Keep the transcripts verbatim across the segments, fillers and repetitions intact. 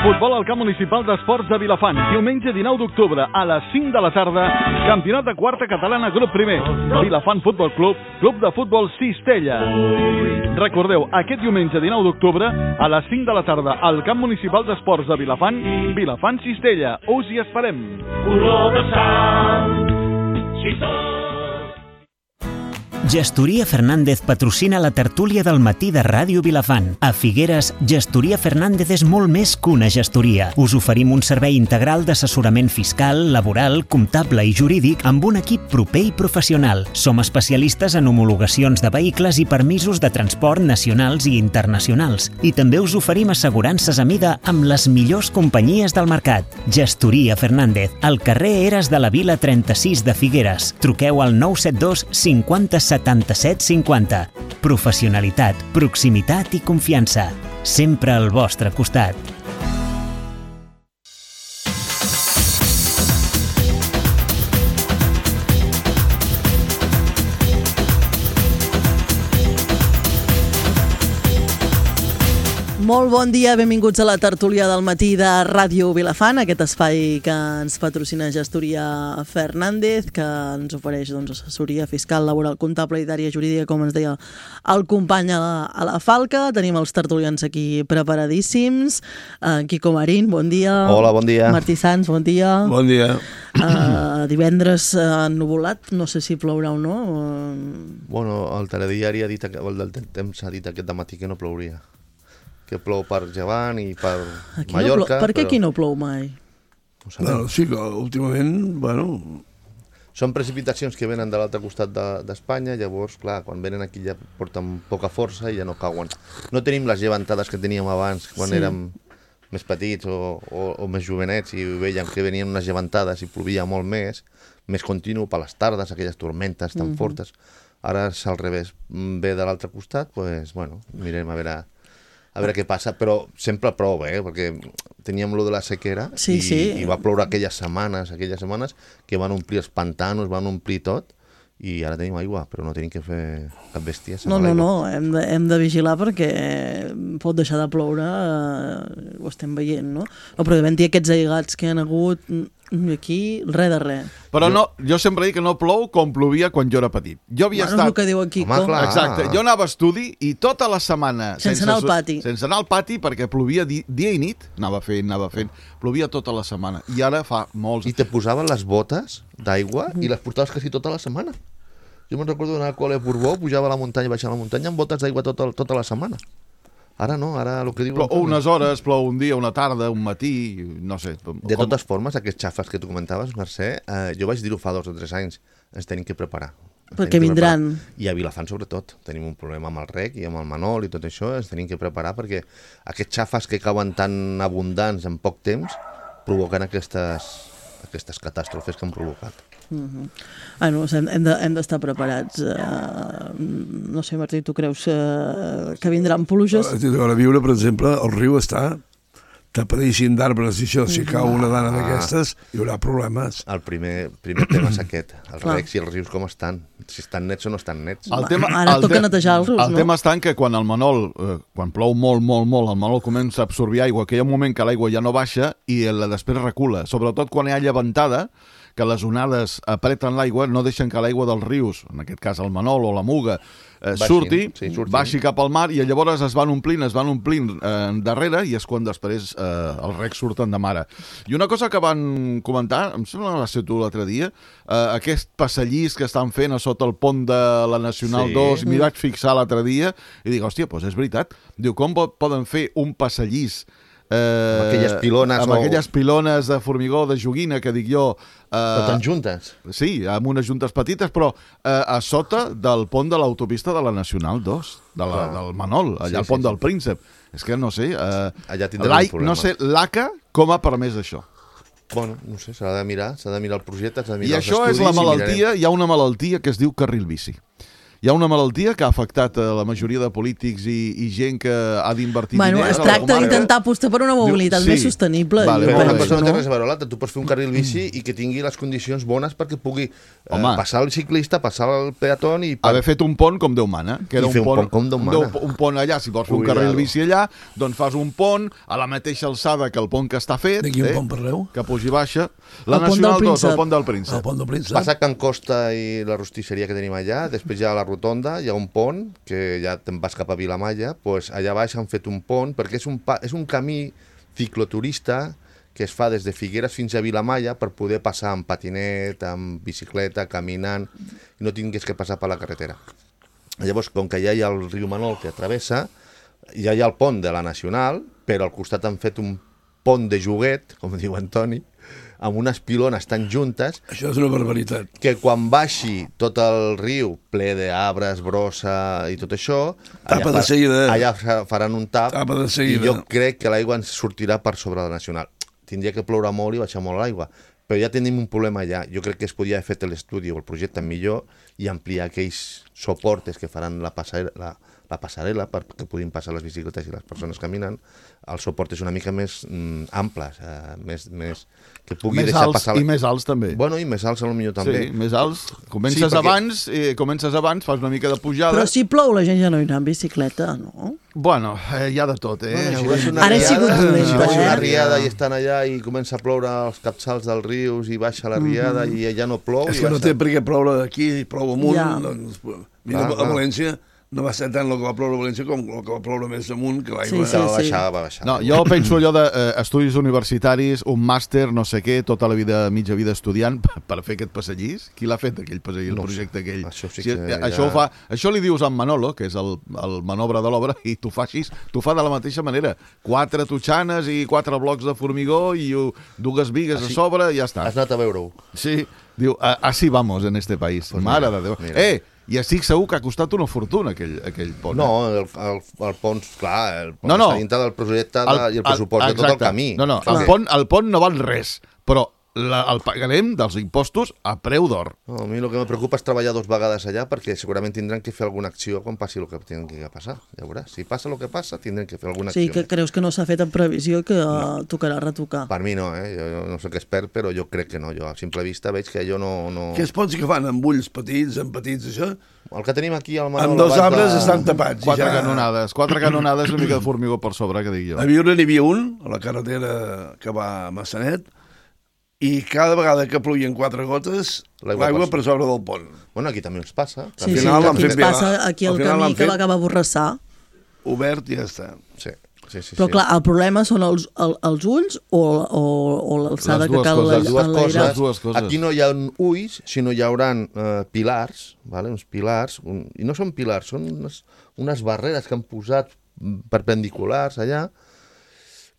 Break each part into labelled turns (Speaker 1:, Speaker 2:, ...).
Speaker 1: Futbol al camp municipal d'esports de Vilafant. Diumenge dinou d'octubre a les cinc de la tarda. Campionat de quarta catalana grup primer. Vilafant Futbol Club, Club de Futbol Cistella. Recordeu, aquest diumenge dinou d'octubre a les cinc de la tarda al camp municipal d'esports de Vilafant, Vilafant Cistella. Us hi esperem.
Speaker 2: Color de sang, si tot...
Speaker 3: Gestoria Fernández patrocina la tertúlia del matí de Ràdio Vilafant. A Figueres, Gestoria Fernández és molt més que una gestoria. Us oferim un servei integral d'assessorament fiscal, laboral, comptable i jurídic amb un equip proper i professional. Som especialistes en homologacions de vehicles i permisos de transport nacionals i internacionals. I també us oferim assegurances a mida amb les millors companyies del mercat. Gestoria Fernández, al carrer Eres de la Vila trenta-sis de Figueres. Truqueu al nou set dos cinquanta setanta-set cinquanta. Professionalitat, proximitat i confiança. Sempre al vostre costat.
Speaker 4: Molt bon dia, benvinguts a la tertúlia del matí de Ràdio Vilafant, aquest espai que ens patrocina Gestoria Fernández, que ens ofereix doncs, assessoria fiscal, laboral, comptable, idària, jurídica, com ens deia el company a la, a la Falca. Tenim els tertulians aquí preparadíssims. Uh, Quico Marín, bon dia.
Speaker 5: Hola, bon dia.
Speaker 4: Martí Sans, bon dia.
Speaker 6: Bon dia.
Speaker 4: Uh, divendres uh, ennuvolat, no sé si plourà o no. Uh...
Speaker 5: Bueno, el telediari ha dit, el del temps ha dit aquest matí que no plouria. Que plou per Llevant i per
Speaker 4: aquí
Speaker 5: Mallorca.
Speaker 4: No plou, per què
Speaker 5: però...
Speaker 4: aquí no plou mai?
Speaker 5: No sabem.
Speaker 6: Bueno, sí que últimament, bueno...
Speaker 5: Són precipitacions que venen de l'altre costat d'Espanya, de, llavors, clar, quan venen aquí ja porten poca força i ja no cauen. No tenim les llevantades que teníem abans, quan sí. érem més petits o, o, o més jovenets i veiem que venien unes llevantades i plovia molt més, més continu per les tardes, aquelles tormentes tan mm-hmm. fortes. Ara és al revés, ve de l'altre costat, doncs, bueno, mirem a veure... a veure què passa, però sempre prou, eh? Perquè teníem lo de la sequera
Speaker 4: sí,
Speaker 5: i,
Speaker 4: sí.
Speaker 5: i va ploure aquelles setmanes, aquelles setmanes que van omplir els pantanos, van omplir tot, i ara tenim aigua, però no tenim que fer cap bèstia.
Speaker 4: No, no, no, hem de, hem de vigilar perquè pot deixar de ploure, eh, ho estem veient, no? No, però devent dir aquests aigats que han hagut aquí, res de res.
Speaker 6: Però jo... no, jo sempre dic que no plou com plovia quan jo era petit. Jo havia
Speaker 4: bueno,
Speaker 6: estat...
Speaker 4: és el que diu aquí.
Speaker 5: Home, clar.
Speaker 6: Exacte, jo anava a estudi i tota la setmana...
Speaker 4: Sense, sense anar al pati.
Speaker 6: Sense anar al pati perquè plovia di, dia i nit, anava fent, anava fent, plovia tota la setmana. I ara fa molts...
Speaker 5: I te posaven les botes d'aigua mm. i les portaves quasi tota la setmana. Jo me'n recordo d'anar al col·le a Borbó, pujava a la muntanya, baixava a la muntanya amb botes d'aigua tota, tota la setmana. Ara no, ara el que diu...
Speaker 6: Plou unes hores, plou un dia, una tarda, un matí, no sé.
Speaker 5: De com... totes formes, aquests xafes que tu comentaves, Mercè, eh, jo vaig dir-ho fa dos o tres anys, ens tenim que preparar. Ens
Speaker 4: perquè vindran.
Speaker 5: Preparar. I a Vilafant sobretot, tenim un problema amb el rec i amb el Manol i tot això, ens tenim que preparar perquè aquests xafes que cauen tan abundants en poc temps provoquen aquestes, aquestes catàstrofes que han provocat.
Speaker 4: Uh-huh. Bueno, hem de, hem d'estar preparats. Uh, no sé, Martí, tu creus uh, que vindran pluges?
Speaker 6: A viure, per exemple, el riu està tapadíssim d'arbres i això, si cau una dana d'aquestes, hi haurà problemes.
Speaker 5: El primer, primer tema és aquest, els recs i els rius com estan, si estan nets o no estan nets.
Speaker 4: El tema, Ara el toca te netejar els rius,
Speaker 6: el
Speaker 4: no?
Speaker 6: El tema està en que quan el Manol, eh, quan plou molt, molt, molt, el Manol comença a absorbir aigua, que hi ha un moment que l'aigua ja no baixa i la després recula, sobretot quan hi ha llevantada, que les onades apreten l'aigua, no deixen que l'aigua dels rius, en aquest cas el Manol o la Muga, eh, Baixin, surti, sí, baixi cap al mar i llavors es van omplint, es van omplint eh, darrere i és quan després eh, els recs surten de mare. I una cosa que van comentar, em sembla que va ser tu l'altre dia, eh, aquest passallís que estan fent a sota el pont de la Nacional sí. dos, m'hi vaig fixar l'altre dia i dic, hòstia, doncs és veritat. Diu, com poden fer un passallís Eh,
Speaker 5: amb aquelles pilones
Speaker 6: amb
Speaker 5: o...
Speaker 6: aquelles pilones de formigó de joguina que dic jo eh,
Speaker 5: però tan juntes
Speaker 6: sí, amb unes juntes petites però eh, a sota del pont de l'autopista de la Nacional dos de la, del Manol, allà sí, al pont sí, del sí. Príncep és que no sé eh,
Speaker 5: allà tindrem un problema
Speaker 6: no sé, l'A C A com ha permès això?
Speaker 5: Bueno, no sé, s'ha de mirar s'ha de mirar el projecte, s'ha de
Speaker 6: i
Speaker 5: mirar
Speaker 6: això
Speaker 5: els estudis
Speaker 6: és la malaltia,
Speaker 5: i
Speaker 6: hi ha una malaltia que es diu carril bici Hi ha una malaltia que ha afectat a la majoria de polítics i, i gent que ha d'invertir
Speaker 4: bueno,
Speaker 6: diners.
Speaker 4: es tracta d'intentar apostar per una mobilitat
Speaker 6: sí.
Speaker 4: més sostenible.
Speaker 6: Vale,
Speaker 5: Però una
Speaker 6: vale.
Speaker 5: cosa no té res a veure l'altra. Tu pots fer un carril bici i que tingui les condicions bones perquè pugui eh, passar el ciclista, passar el peatón i...
Speaker 6: Haver fet un pont com Déu mana. Que era
Speaker 5: I fer un pont com Déu mana.
Speaker 6: Un pont allà, si vols fer un carril bici allà, doncs fas un pont a la mateixa alçada que el pont que està fet.
Speaker 7: De quin
Speaker 6: eh?
Speaker 7: pont parleu?
Speaker 6: Que pugi baixa. La
Speaker 4: el
Speaker 6: Nacional dos, el pont del Príncep.
Speaker 7: El pont del Príncep.
Speaker 5: Passa Can Costa i la rostisseria que tenim allà, després hi ha la rotonda, hi ha un pont, que ja te'n vas cap a Vilamalla, doncs allà baix han fet un pont, perquè és un, pa, és un camí cicloturista que es fa des de Figueres fins a Vilamalla per poder passar amb patinet, amb bicicleta, caminant, i no tingués que passar per la carretera. Llavors, com que ja hi ha el riu Manol que travessa, ja hi ha el pont de la Nacional, però al costat han fet un pont de joguet, com diu Antoni, amb unes pilones tan juntes...
Speaker 7: Això és una barbaritat.
Speaker 5: Que quan baixi tot el riu ple d'arbres, brossa i tot això...
Speaker 7: Tapa
Speaker 5: allà
Speaker 7: de seguida.
Speaker 5: Allà faran un tap
Speaker 7: Tapa de seguida.
Speaker 5: I jo crec que l'aigua ens sortirà per sobre la Nacional. Tindria que ploure molt i baixar molt l'aigua. Però ja tenim un problema allà. Jo crec que es podria haver fet l'estudi o el projecte millor i ampliar aquells soportes que faran la passarel·la, la, la passarel·la perquè puguin passar les bicicletes i les persones caminant. Els soportes una mica més mm, amples, eh, més, més, que pugui
Speaker 6: més
Speaker 5: deixar
Speaker 6: alts,
Speaker 5: passar... La...
Speaker 6: I més alts també.
Speaker 5: Bueno, i més alts potser també.
Speaker 6: Sí, més alts. Comences,
Speaker 5: sí, perquè...
Speaker 6: abans, eh, comences abans, fas una mica de pujada...
Speaker 4: Però si plou la gent ja no irà en bicicleta, no?
Speaker 6: Bueno, eh, hi ha de tot, eh?
Speaker 5: Bueno, si
Speaker 4: Ara he sigut dolenta,
Speaker 5: si vas
Speaker 4: eh?
Speaker 5: una riada i estan allà i comença a ploure els capçals dels rius i baixa la riada mm -hmm. i ja no plou...
Speaker 7: És que no té per què ploure aquí, plou amunt.
Speaker 4: Ja.
Speaker 7: Doncs, mira, ah, a València no va ser tant el que va ploure a València com el que va ploure més amunt, que l'aigua...
Speaker 4: Sí, sí,
Speaker 5: va
Speaker 4: sí.
Speaker 5: baixar, va baixar.
Speaker 6: No, jo penso allò d'estudis eh, universitaris, un màster, no sé què, tota la vida, mitja vida estudiant per, per fer aquest passallís. Qui l'ha fet, aquell passallís,
Speaker 5: No
Speaker 6: el projecte
Speaker 5: sé.
Speaker 6: aquell?
Speaker 5: Això sí
Speaker 6: Si,
Speaker 5: que ja-
Speaker 6: això, ho fa, això li dius a en Manolo, que és el, el manobre de l'obra, i t'ho fa així, t'ho fa de la mateixa manera. Quatre totxanes i quatre blocs de formigó i uh, dues bigues
Speaker 5: Així-
Speaker 6: a sobre i ja està.
Speaker 5: Has anat a veure-ho.
Speaker 6: Sí, diu, "A- así vamos en este país.
Speaker 5: Pues
Speaker 6: Mare
Speaker 5: mira,
Speaker 6: de Déu.
Speaker 5: mira.
Speaker 6: Eh, i estic segur que ha costat una fortuna aquell, aquell pont.
Speaker 5: No, el, el, el pont, clar, el pont
Speaker 6: No, no.
Speaker 5: està dintre del projecte de, i el pressupost de tot
Speaker 6: exacte.
Speaker 5: el camí.
Speaker 6: No, no,
Speaker 5: Clar.
Speaker 6: el pont, el pont no val res, però la, el pagarem dels impostos a preu d'or.
Speaker 5: No, a mi el que me preocupa és treballar dos vegades allà perquè segurament tindran que fer alguna acció quan passi el que tenen que passar. Ja veuràs, si passa el que passa, tindran que fer alguna
Speaker 4: Sí,
Speaker 5: acció.
Speaker 4: que creus que no s'ha fet en previsió que no. tocarà retocar.
Speaker 5: Per mi no, eh? Jo, jo no soc expert, però jo crec que no. Jo a simple vista veig que allò no... no...
Speaker 7: Aquests ponts que fan amb ulls petits, amb petits, això,
Speaker 5: El que tenim aquí al Manol...
Speaker 7: amb dos
Speaker 5: abans
Speaker 7: arbres
Speaker 5: de...
Speaker 7: estan tapats. i
Speaker 6: Quatre
Speaker 7: ja...
Speaker 6: canonades, quatre canonades i una mica de formigó per sobre, que dic jo.
Speaker 7: A viure n'hi havia un, a la carretera que va a Massanet, i cada vegada que plovien quatre gotes,
Speaker 5: L'aigua
Speaker 7: l'aigua
Speaker 5: passa.
Speaker 7: per sobre del pont.
Speaker 5: Bueno, aquí també ens passa.
Speaker 4: Sí,
Speaker 7: Al
Speaker 4: sí,
Speaker 7: final
Speaker 4: que
Speaker 7: l'han
Speaker 4: aquí
Speaker 7: fet
Speaker 4: ens
Speaker 7: bé,
Speaker 4: passa aquí
Speaker 7: al
Speaker 4: el
Speaker 7: final
Speaker 4: camí
Speaker 7: l'han
Speaker 4: que
Speaker 7: fet-
Speaker 4: va acabar a Borrassà.
Speaker 7: Obert i ja està.
Speaker 5: Sí, sí, sí.
Speaker 4: Però
Speaker 5: sí.
Speaker 4: clar, el problema són els, el, els ulls o, o, o l'alçada
Speaker 6: Les
Speaker 4: que
Speaker 6: dues
Speaker 4: cal
Speaker 6: coses,
Speaker 5: Les dues
Speaker 4: enlairar?
Speaker 5: coses,
Speaker 6: Les dues coses.
Speaker 5: aquí no hi ha ulls, sinó hi haurà eh, pilars, vale? uns pilars, un, i no són pilars, són unes, unes barreres que han posat perpendiculars allà.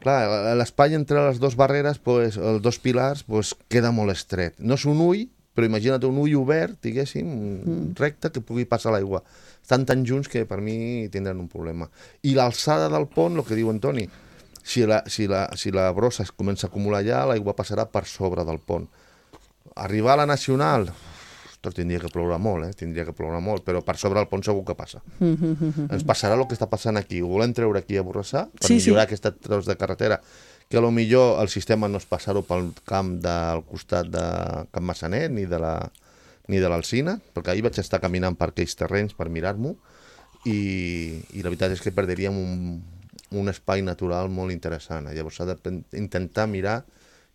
Speaker 5: Clar, l'espai entre les dues barreres, pues, els dos pilars, pues, queda molt estret. No és un ull, però imagina't un ull obert, diguéssim, mm. recte, que pugui passar l'aigua. Estan tan junts que per mi tindran un problema. I l'alçada del pont, el que diu Antoni, si la, si la, si la brossa es comença a acumular allà, l'aigua passarà per sobre del pont. Arribar a la Nacional, ostres, tindria que ploure molt, eh? tindria que ploure molt, però per sobre del pont segur que passa. Ens passarà el que està passant aquí. Ho volem treure aquí a Borrassà per
Speaker 4: Sí,
Speaker 5: millorar
Speaker 4: sí.
Speaker 5: aquest tros de carretera, que a lo millor el sistema no és passar-ho pel camp del costat de Camp Massanet ni de la ni de l'Alsina, perquè ahir vaig estar caminant per aquells terrenys per mirar-m'ho i, i la veritat és que perderíem un, un espai natural molt interessant. Llavors s'ha d'intentar mirar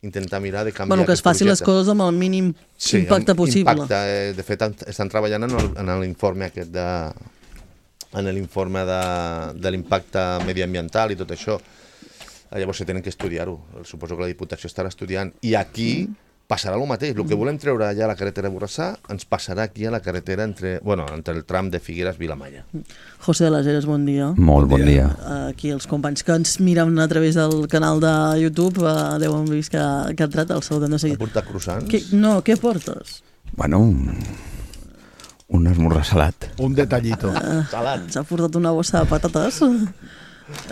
Speaker 5: intentar mirar de canviar
Speaker 4: Bueno, que es
Speaker 5: aquest
Speaker 4: facin les
Speaker 5: projecte.
Speaker 4: coses amb el mínim
Speaker 5: Sí,
Speaker 4: impacte
Speaker 5: amb
Speaker 4: possible.
Speaker 5: Impacte, eh, de fet, estan treballant en el- en l'informe aquest de en l'informe de, de l'impacte mediambiental i tot això. Llavors se tenen que estudiar-ho. Suposo que la Diputació estarà estudiant. I aquí passarà el mateix. El que volem treure allà a la carretera de Borrassà ens passarà aquí a la carretera entre, bueno, entre el tram de Figueres-Vilamalla.
Speaker 4: José de les Heres, bon dia.
Speaker 8: Molt bon dia.
Speaker 4: Aquí els companys que ens miren a través del canal de YouTube eh, deuen vist que, que ha entrat el saludem de
Speaker 5: Ha
Speaker 4: seguida.
Speaker 5: portat croissants?
Speaker 4: Que, no, què portes?
Speaker 8: Bueno, un, un esmorzar salat.
Speaker 6: Un detallito.
Speaker 5: Salat.
Speaker 4: Ens ha portat una bossa de patates.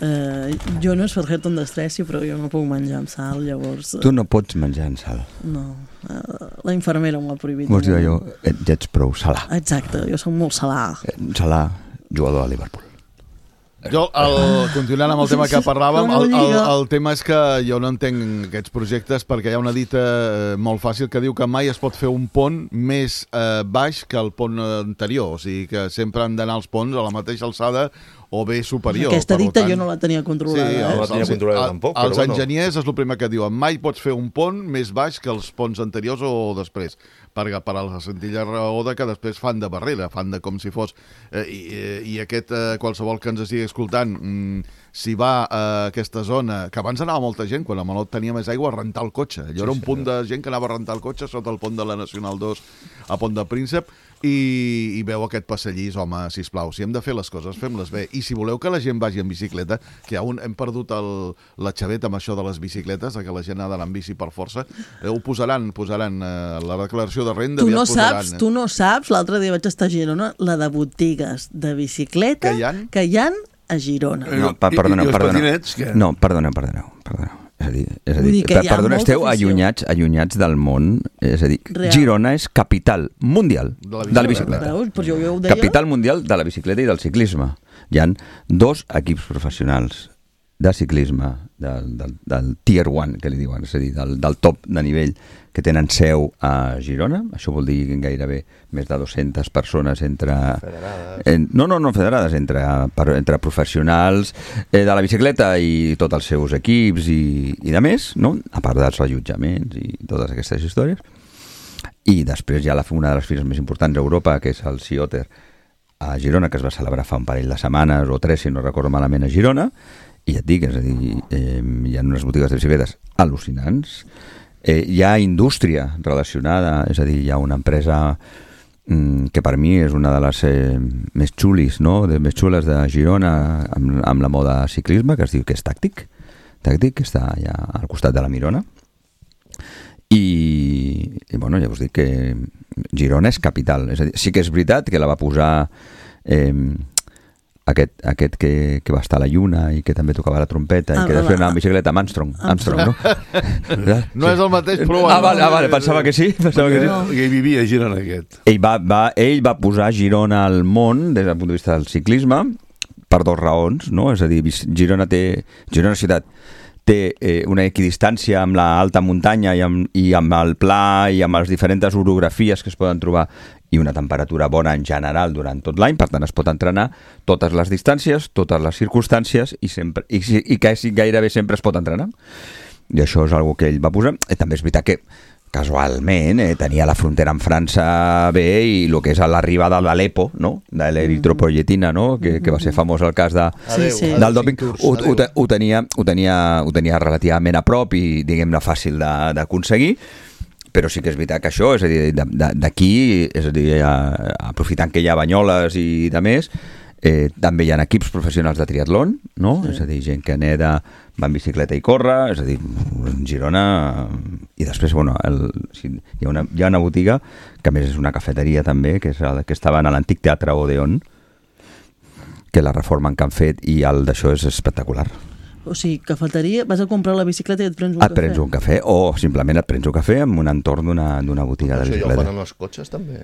Speaker 4: Eh, jo no és per fer-te un destressi, però jo no puc menjar amb sal, llavors...
Speaker 8: Tu no pots menjar amb sal.
Speaker 4: No, eh, la infermera m'ho ha prohibit.
Speaker 8: Vols dir allò, ja ets prou salà.
Speaker 4: Exacte, jo soc molt salà.
Speaker 8: Salà, jugador de Liverpool.
Speaker 6: Jo, el, continuant amb el tema que parlàvem, el, el, el tema és que jo no entenc aquests projectes perquè hi ha una dita molt fàcil que diu que mai es pot fer un pont més eh, baix que el pont anterior, o sigui que sempre han d'anar els ponts a la mateixa alçada o bé superior.
Speaker 4: Aquesta dita tant, jo no la tenia controlada.
Speaker 5: Sí,
Speaker 4: eh?
Speaker 5: no la tenia controlada tampoc.
Speaker 6: Els
Speaker 5: però bueno.
Speaker 6: enginyers és el primer que diuen, mai pots fer un pont més baix que els ponts anteriors o després, per, per a la senzilla raó de que després fan de barrera, fan de com si fos... Eh, i, I aquest, eh, qualsevol que ens estigui escoltant, mm, si va a aquesta zona, que abans anava molta gent, quan a Malot tenia més aigua, a rentar el cotxe. Allò sí, era un sí, punt de gent que anava a rentar el cotxe sota el pont de la Nacional dos a Pont de Príncep, i, i veu aquest passallís, home, sisplau, si hem de fer les coses, fem-les bé. I si voleu que la gent vagi en bicicleta, que un, hem perdut el, la xaveta amb això de les bicicletes, que la gent ha d'anar en bici per força, eh, ho posaran, posaran eh, la declaració de renda.
Speaker 4: Tu no
Speaker 6: posaran,
Speaker 4: saps,
Speaker 6: eh?
Speaker 4: tu no saps, l'altre dia vaig estar a Girona, la de botigues de bicicleta
Speaker 6: que hi ha,
Speaker 4: que hi ha a Girona.
Speaker 8: No, pa, perdona,
Speaker 7: I, i
Speaker 8: perdona.
Speaker 7: patinets, què?
Speaker 8: No, perdona, perdona, perdona. És a dir, és a dir,
Speaker 4: Vull dir que hi ha
Speaker 8: perdona,
Speaker 4: molta
Speaker 8: esteu
Speaker 4: afició.
Speaker 8: allunyats, allunyats del món, és a dir,
Speaker 4: Real.
Speaker 8: Girona és capital mundial
Speaker 6: De la
Speaker 8: de la
Speaker 6: bicicleta.
Speaker 8: bicicleta.
Speaker 4: Veus? Però jo, jo ho deia...
Speaker 8: Capital mundial de la bicicleta i del ciclisme. Hi han dos equips professionals de ciclisme del, del, del tier one, que li diuen, és a dir, del, del top de nivell, que tenen seu a Girona. Això vol dir gairebé més de dues-centes persones entre...
Speaker 5: Federades.
Speaker 8: En, no, no, no federades, entre, per, entre professionals eh, de la bicicleta i tots els seus equips i, i de més, no? A part dels allotjaments i totes aquestes històries. I després hi ha la, una de les fires més importants d'Europa, que és el Cioter a Girona, que es va celebrar fa un parell de setmanes o tres, si no recordo malament, a Girona. I ja et dic, és a dir, eh, hi ha unes botigues de bicicletes al·lucinants. Eh, hi ha indústria relacionada, és a dir, hi ha una empresa mm, que per mi és una de les eh, més xulis, no? de, més xules de Girona amb, amb la moda ciclisme, que es diu que és Tàctic, Tàctic, que està allà al costat de la Mirona. I, i bueno, ja us dic que Girona és capital, és a dir, sí que és veritat que la va posar eh, aquest, aquest que, que va estar a la lluna i que també tocava la trompeta ah, i que després anava amb bicicleta, amb Armstrong, Armstrong, no?
Speaker 6: No és el mateix, però...
Speaker 8: Ah, vale, ah, vale, pensava que sí, pensava que sí.
Speaker 7: No. Ell vivia a Girona, aquest.
Speaker 8: Ell va, va, ell va posar Girona al món des del punt de vista del ciclisme per dues raons, no? És a dir, Girona té... Girona ciutat té eh, una equidistància amb la alta muntanya i amb, i amb el pla i amb les diferents orografies que es poden trobar i una temperatura bona en general durant tot l'any, per tant es pot entrenar totes les distàncies, totes les circumstàncies i, sempre, i, i quasi gairebé sempre es pot entrenar. I això és una que ell va posar. I també és veritat que casualment eh, tenia la frontera amb França bé i el que és l'arribada de l'E P O, no? de l'eritropoietina, no? que, que va ser famós el cas de,
Speaker 4: sí, sí.
Speaker 8: del doping, ho, ho, ho, tenia, ho, tenia, ho tenia relativament a prop i diguem-ne fàcil d'aconseguir, però sí que és veritat que això, és a dir, d'aquí, és a dir, aprofitant que hi ha banyoles i de més, eh, també hi ha equips professionals de triatlon, no? Sí. És a dir, gent que neda, va en bicicleta i corre, és a dir, en Girona... I després, bueno, el, hi, ha una, hi ha una botiga, que a més és una cafeteria també, que, és el, que estava en l'antic Teatre Odeon, que la reformen que han fet, i el d'això és espectacular.
Speaker 4: O sigui, cafeteria, vas a comprar la bicicleta i et prens un
Speaker 8: et
Speaker 4: cafè.
Speaker 8: Et prens un cafè, o simplement et prens un cafè en un entorn d'una botiga de bicicleta.
Speaker 5: Això ja ho fan en els cotxes, també?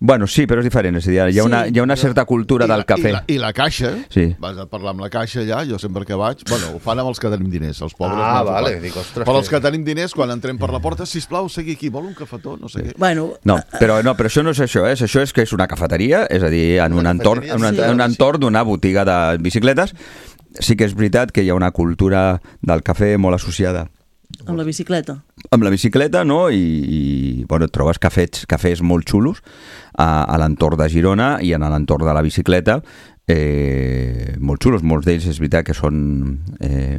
Speaker 8: Bueno, sí, però és diferent. És a dir, hi ha, una, hi ha una certa cultura
Speaker 6: I la,
Speaker 8: del cafè.
Speaker 6: I la, I la caixa,
Speaker 8: sí.
Speaker 6: Vas a parlar amb la caixa allà, jo sempre que vaig... Bueno, ho fan amb els que tenim diners, els pobres.
Speaker 5: Ah,
Speaker 6: no
Speaker 5: vale, dic, ostres...
Speaker 6: Però els que tenim diners, quan entrem per la porta, sisplau, segui aquí, vol un cafetó, no sé sí. què.
Speaker 4: Bueno,
Speaker 8: no, però, no, però això no és això, eh? Això és que és una cafeteria, és a dir, en un entorn, en un, en un entorn d'una botiga de bicicletes. Sí que és veritat que hi ha una cultura del cafè molt associada
Speaker 4: amb la bicicleta.
Speaker 8: Amb la bicicleta, no? I, i bueno, et trobes cafès, cafès molt xulos a, a l'entorn de Girona i en l'entorn de la bicicleta, eh, molt xulos. Molts d'ells és veritat que són eh,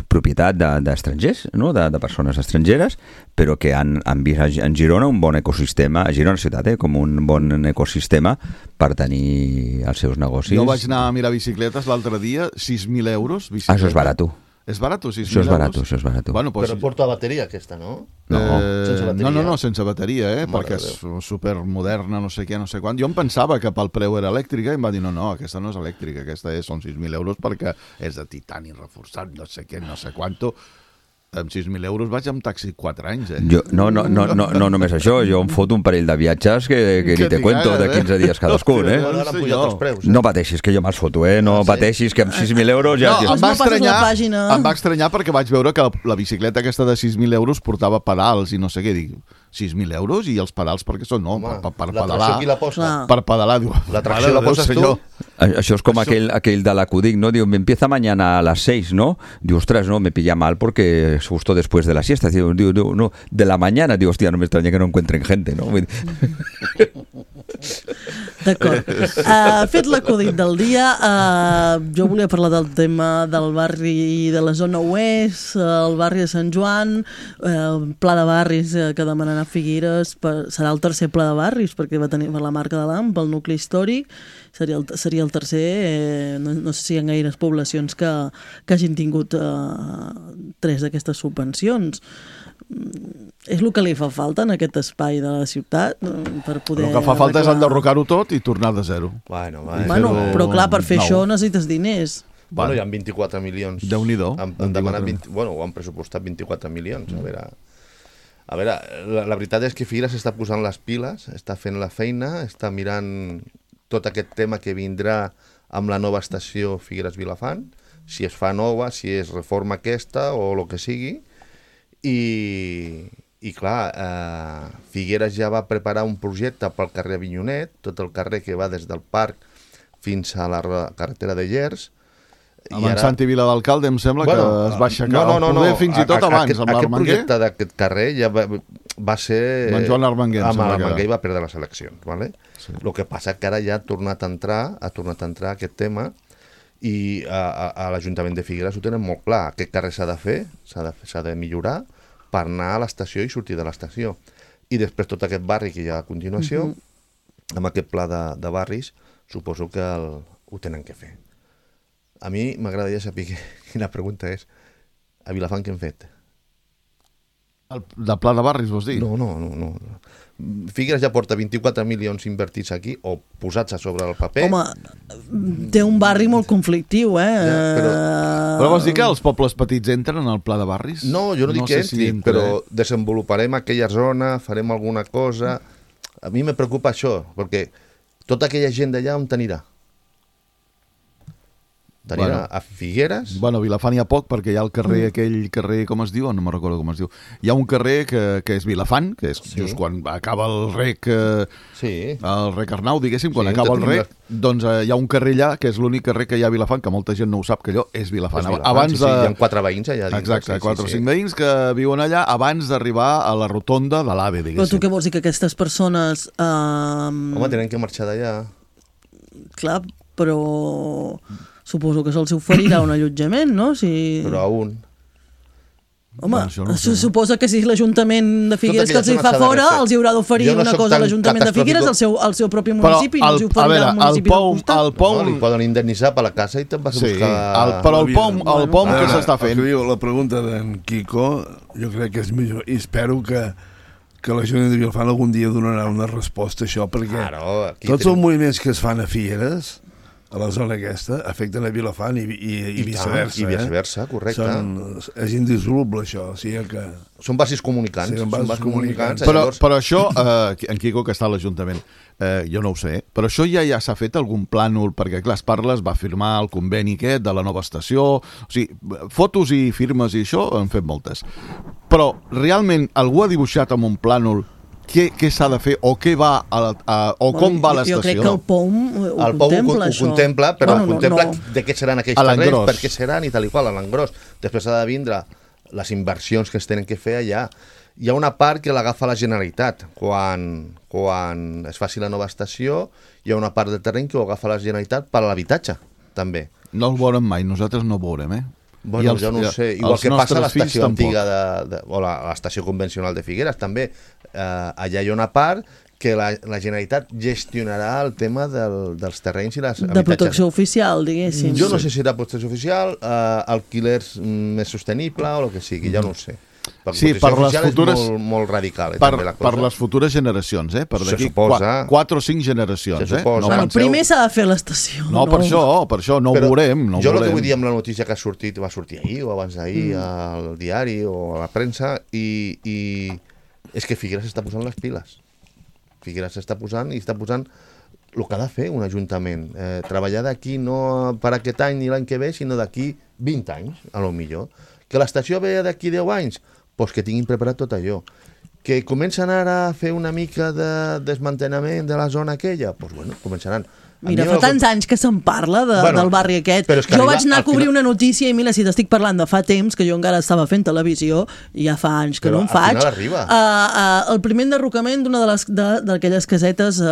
Speaker 8: propietat d'estrangers, de, no? de, de persones estrangeres, però que han, han vist en Girona un bon ecosistema, a Girona ciutat, eh, com un bon ecosistema per tenir els seus negocis.
Speaker 6: Jo vaig anar a mirar bicicletes l'altre dia, sis mil euros. Bicicleta.
Speaker 8: Això és barat.
Speaker 6: És barat, sis mil
Speaker 8: Això és
Speaker 6: euros?
Speaker 8: barat, això és barat.
Speaker 6: Bueno, pues,
Speaker 5: Però porta bateria aquesta, no?
Speaker 8: No.
Speaker 6: Eh,
Speaker 5: Sense bateria.
Speaker 6: no, no, no, sense bateria, eh?
Speaker 5: Mare
Speaker 6: perquè
Speaker 5: de
Speaker 6: és supermoderna, no sé què, no sé quant. Jo em pensava que pel preu era elèctrica i em va dir, no, no, aquesta no és elèctrica, aquesta és, són sis mil euros perquè és de titani reforçat, no sé què, no sé quanto. Amb sis mil euros vaig amb taxi quatre anys, eh?
Speaker 8: Jo, no, no, no, no, no només això, jo em foto un parell de viatges que, que, que ni te cuento, de quinze dies cadascun, eh?
Speaker 5: Bueno, ara han pujat els preus.
Speaker 8: No pateixis, que jo me'ls foto, eh? No pateixis, que amb sis mil euros ja...
Speaker 6: No, em
Speaker 4: no
Speaker 6: va,
Speaker 4: passes
Speaker 6: estranyar,
Speaker 4: la pàgina.
Speaker 6: em va estranyar perquè vaig veure que la, la bicicleta aquesta de sis mil euros portava pedals i no sé què, dic, sis mil euros i els pedals perquè són, no,
Speaker 5: Home,
Speaker 6: per, per, per
Speaker 5: la
Speaker 6: pedalar.
Speaker 5: tracció qui la posa?
Speaker 4: Clar.
Speaker 6: Per pedalar, diu,
Speaker 5: La tracció
Speaker 6: mare
Speaker 5: la
Speaker 6: de Déu,
Speaker 5: poses tu?
Speaker 6: senyor.
Speaker 8: Això és com aquell, aquell de l'acudic, ¿no? Diu, me empieza mañana a las seis, ¿no? Diu, ostras, no, me pilla mal porque es justo después de la siesta. Diu, diu, diu, no, de la mañana, diu, hostia, no me extraña que no encuentren gente, ¿no?
Speaker 4: D'acord. Uh, fet l'acudit del dia, uh, jo volia parlar del tema del barri de la zona oest, uh, el barri de Sant Joan, uh, el pla de barris uh, que demanen a Figueres, per, serà el tercer pla de barris, perquè va tenir per la marca de l'A M P, el nucli històric, seria el, seria el tercer, eh, no, no sé si hi ha gaires poblacions que, que hagin tingut uh, tres d'aquestes subvencions. És el que li fa falta en aquest espai de la ciutat per poder...
Speaker 6: El que fa falta és
Speaker 4: arreglar-
Speaker 6: enderrocar-ho tot i tornar de zero.
Speaker 5: Bueno, bueno.
Speaker 4: Bueno, però clar, per fer
Speaker 6: nou.
Speaker 4: això necessites diners.
Speaker 5: Bueno, hi ha vint-i-quatre milions.
Speaker 6: Déu-n'hi-do.
Speaker 5: Han, han demanat vint, bueno, ho han pressupostat vint-i-quatre milions. A veure, a veure la, la veritat és que Figueres està posant les piles, està fent la feina, està mirant tot aquest tema que vindrà amb la nova estació Figueres-Vilafant, si es fa nova, si es reforma aquesta o el que sigui, i, i clar, eh, Figueres ja va preparar un projecte pel carrer Avinyonet, tot el carrer que va des del parc fins a la carretera de Llers.
Speaker 6: Amb en Santi Vila d'Alcalde em sembla bueno, que es va aixecar
Speaker 5: no, no, no,
Speaker 6: poder
Speaker 5: no.
Speaker 6: fins i tot
Speaker 5: a, a,
Speaker 6: abans,
Speaker 5: aquest,
Speaker 6: amb
Speaker 5: aquest
Speaker 6: l'Armenguer.
Speaker 5: projecte d'aquest carrer ja va, va ser...
Speaker 6: Amb en Joan Armenguer, em
Speaker 5: amb
Speaker 6: sembla que
Speaker 5: l'Armenguer
Speaker 6: era.
Speaker 5: va perdre les eleccions, ¿vale? Sí. El que passa que ara ja ha tornat a entrar, ha tornat a entrar aquest tema i a, a, a l'Ajuntament de Figueres ho tenen molt clar. Aquest carrer s'ha de fer, s'ha de, s'ha de millorar per anar a l'estació i sortir de l'estació. I després tot aquest barri que hi ha a continuació, uh-huh. amb aquest pla de, de barris, suposo que el, ho tenen que fer. A mi m'agradaria saber que, quina pregunta és a Vilafant què hem fet?
Speaker 6: El, de pla de barris, vols dir?
Speaker 5: No, no, no, no. Figueres ja porta vint-i-quatre milions invertits aquí o posats a sobre el paper.
Speaker 4: Home, té un barri molt conflictiu, eh?
Speaker 5: Ja, però-
Speaker 6: Però vols dir que els pobles petits entren al pla de barris?
Speaker 5: No, jo no dic que
Speaker 6: sé si
Speaker 5: entri,
Speaker 6: entra,
Speaker 5: però
Speaker 6: eh?
Speaker 5: desenvoluparem aquella zona, farem alguna cosa. A mi me preocupa això, perquè tota aquella gent d'allà on t'anirà? T'anirà
Speaker 6: Bueno.
Speaker 5: a Figueres?
Speaker 6: Bueno, a Vilafant hi ha poc perquè hi ha el carrer, aquell carrer, com es diu? No me'n recordo com es diu. Hi ha un carrer que, que és Vilafant, que és
Speaker 5: Sí.
Speaker 6: just quan acaba el rec, eh,
Speaker 5: Sí.
Speaker 6: el rec Arnau, diguéssim, quan
Speaker 5: Sí,
Speaker 6: acaba el
Speaker 5: tenim
Speaker 6: rec, doncs eh, hi ha un carrer allà, que és l'únic carrer que hi ha a Vilafant, que molta gent no ho sap, que allò és Vilafant.
Speaker 5: És Vilafant,
Speaker 6: abans
Speaker 5: sí, sí,
Speaker 6: de...
Speaker 5: hi ha quatre veïns allà dins.
Speaker 6: Exacte,
Speaker 5: sí,
Speaker 6: quatre o
Speaker 5: sí,
Speaker 6: cinc veïns que viuen allà abans d'arribar a la rotonda de l'AVE,
Speaker 4: Però tu
Speaker 6: diguéssim.
Speaker 4: què vols dir, que aquestes persones... Eh,
Speaker 5: Home, tenen que marxar d'allà.
Speaker 4: Clar, però suposo que se'ls oferirà un allotjament, no? Si...
Speaker 5: Però a un.
Speaker 4: Home,
Speaker 6: Bueno, això no ho sé,
Speaker 4: se suposa que si l'Ajuntament de Figueres que
Speaker 5: aquella
Speaker 4: els hi
Speaker 5: zona
Speaker 4: fa
Speaker 5: s'ha de
Speaker 4: fora,
Speaker 5: refer.
Speaker 4: els hi haurà d'oferir
Speaker 5: Jo no
Speaker 4: una
Speaker 5: soc
Speaker 4: cosa a
Speaker 5: tan
Speaker 4: l'Ajuntament de Figueres, al seu, al seu propi
Speaker 6: Però
Speaker 4: municipi, no els hi
Speaker 6: el, a
Speaker 4: oferirà
Speaker 6: veure,
Speaker 4: el
Speaker 6: el
Speaker 4: municipi del
Speaker 6: POM,
Speaker 4: costat.
Speaker 6: el POM,
Speaker 5: No, li poden indemnitzar per la casa i te'n vas a
Speaker 6: sí,
Speaker 5: buscar...
Speaker 6: el, però el POM, el POM
Speaker 7: A
Speaker 6: que
Speaker 7: veure,
Speaker 6: s'està
Speaker 7: el que
Speaker 6: fent...
Speaker 7: diu la pregunta d'en Quico, jo crec que és millor, i espero que, que l'Ajuntament de Vilafant algun dia donarà una resposta a això, perquè
Speaker 5: Claro, aquí
Speaker 7: tots
Speaker 5: tenim-
Speaker 7: els moviments que es fan a Figueres, a la zona aquesta, afecten a Vilafant i, i, i
Speaker 5: I
Speaker 7: viceversa.
Speaker 5: tant, i viceversa, correcte.
Speaker 7: Són, és indissoluble, això. O sigui que...
Speaker 5: Són basis comunicants.
Speaker 7: Sí, són
Speaker 5: són
Speaker 7: vasos
Speaker 5: vasos
Speaker 7: comunicants.
Speaker 6: Però,
Speaker 5: llavors-
Speaker 6: però això, eh, en Quico, que està a l'Ajuntament, eh, jo no ho sé, però això ja ja s'ha fet algun plànol, perquè clar, es parla, es va firmar el conveni aquest de la nova estació, o sigui, fotos i firmes i això han fet moltes. Però realment algú ha dibuixat amb un plànol què, què s'ha de fer o què va a, la- a, o com va
Speaker 4: Jo crec
Speaker 6: l'estació?
Speaker 4: que el POM ho
Speaker 5: El Pau ho,
Speaker 4: contempla,
Speaker 5: ho
Speaker 4: això.
Speaker 5: contempla, però
Speaker 4: Bueno,
Speaker 5: no, contempla
Speaker 4: no,
Speaker 5: de què seran aquells
Speaker 6: A
Speaker 5: terrenys,
Speaker 6: l'engròs.
Speaker 5: per què seran i tal i qual, a l'engròs. Després ha de vindre les inversions que es tenen que fer allà. Hi ha una part que l'agafa la Generalitat. Quan, quan es faci la nova estació, hi ha una part del terreny que ho agafa la Generalitat per a l'habitatge, també.
Speaker 6: No el veurem mai, nosaltres no ho veurem, eh?
Speaker 5: Bueno,
Speaker 6: I els-
Speaker 5: jo no ho
Speaker 6: i-
Speaker 5: sé. Igual
Speaker 6: els
Speaker 5: que passa a
Speaker 6: nostres fills
Speaker 5: l'estació
Speaker 6: tampoc.
Speaker 5: antiga de, de, o la- a l'estació convencional de Figueres, també. Eh, allà hi ha una part que la, la Generalitat gestionarà el tema del, dels terrenys i les
Speaker 4: de
Speaker 5: habitatges.
Speaker 4: protecció oficial, diguéssim.
Speaker 5: Jo no sé si serà protecció oficial, eh, alquilers més sostenible o el que sigui, ja no ho sé. La
Speaker 6: Sí, per les futures,
Speaker 5: és molt, molt radical, eh,
Speaker 6: per,
Speaker 5: també la cosa.
Speaker 6: per les futures generacions, eh? Per
Speaker 5: Se
Speaker 6: d'aquí
Speaker 5: suposa.
Speaker 6: quatre o cinc generacions,
Speaker 5: Se
Speaker 6: eh?
Speaker 5: suposa.
Speaker 6: No
Speaker 4: Bueno,
Speaker 6: penseu...
Speaker 4: primer s'ha de fer l'estació.
Speaker 6: No, per això, per això, no ho
Speaker 5: Però
Speaker 6: veurem, no ho
Speaker 5: jo el
Speaker 6: veurem.
Speaker 5: que vull dir amb la notícia que ha sortit, va sortir ahir o abans d'ahir mm. al diari o a la premsa, i, i és que Figueres està posant les piles. Figueres s'està posant i està posant el que ha de fer un ajuntament. Eh, treballar d'aquí no per aquest any ni l'any que ve, sinó d'aquí vint anys, a lo millor. Que l'estació ve d'aquí deu anys, doncs que tinguin preparat tot allò. Que comencen ara a fer una mica de desmantellament de la zona aquella, doncs bueno, començaran.
Speaker 4: Mira, fa tants anys que se'n parla de,
Speaker 5: bueno,
Speaker 4: del barri aquest.
Speaker 5: Jo
Speaker 4: arriba, vaig anar a cobrir
Speaker 5: final...
Speaker 4: una notícia i mira, si t'estic parlant de fa temps, que jo encara estava fent televisió, i ja fa anys que
Speaker 5: però
Speaker 4: no en faig,
Speaker 5: uh,
Speaker 4: uh, el primer enderrocament d'una d'aquelles casetes uh,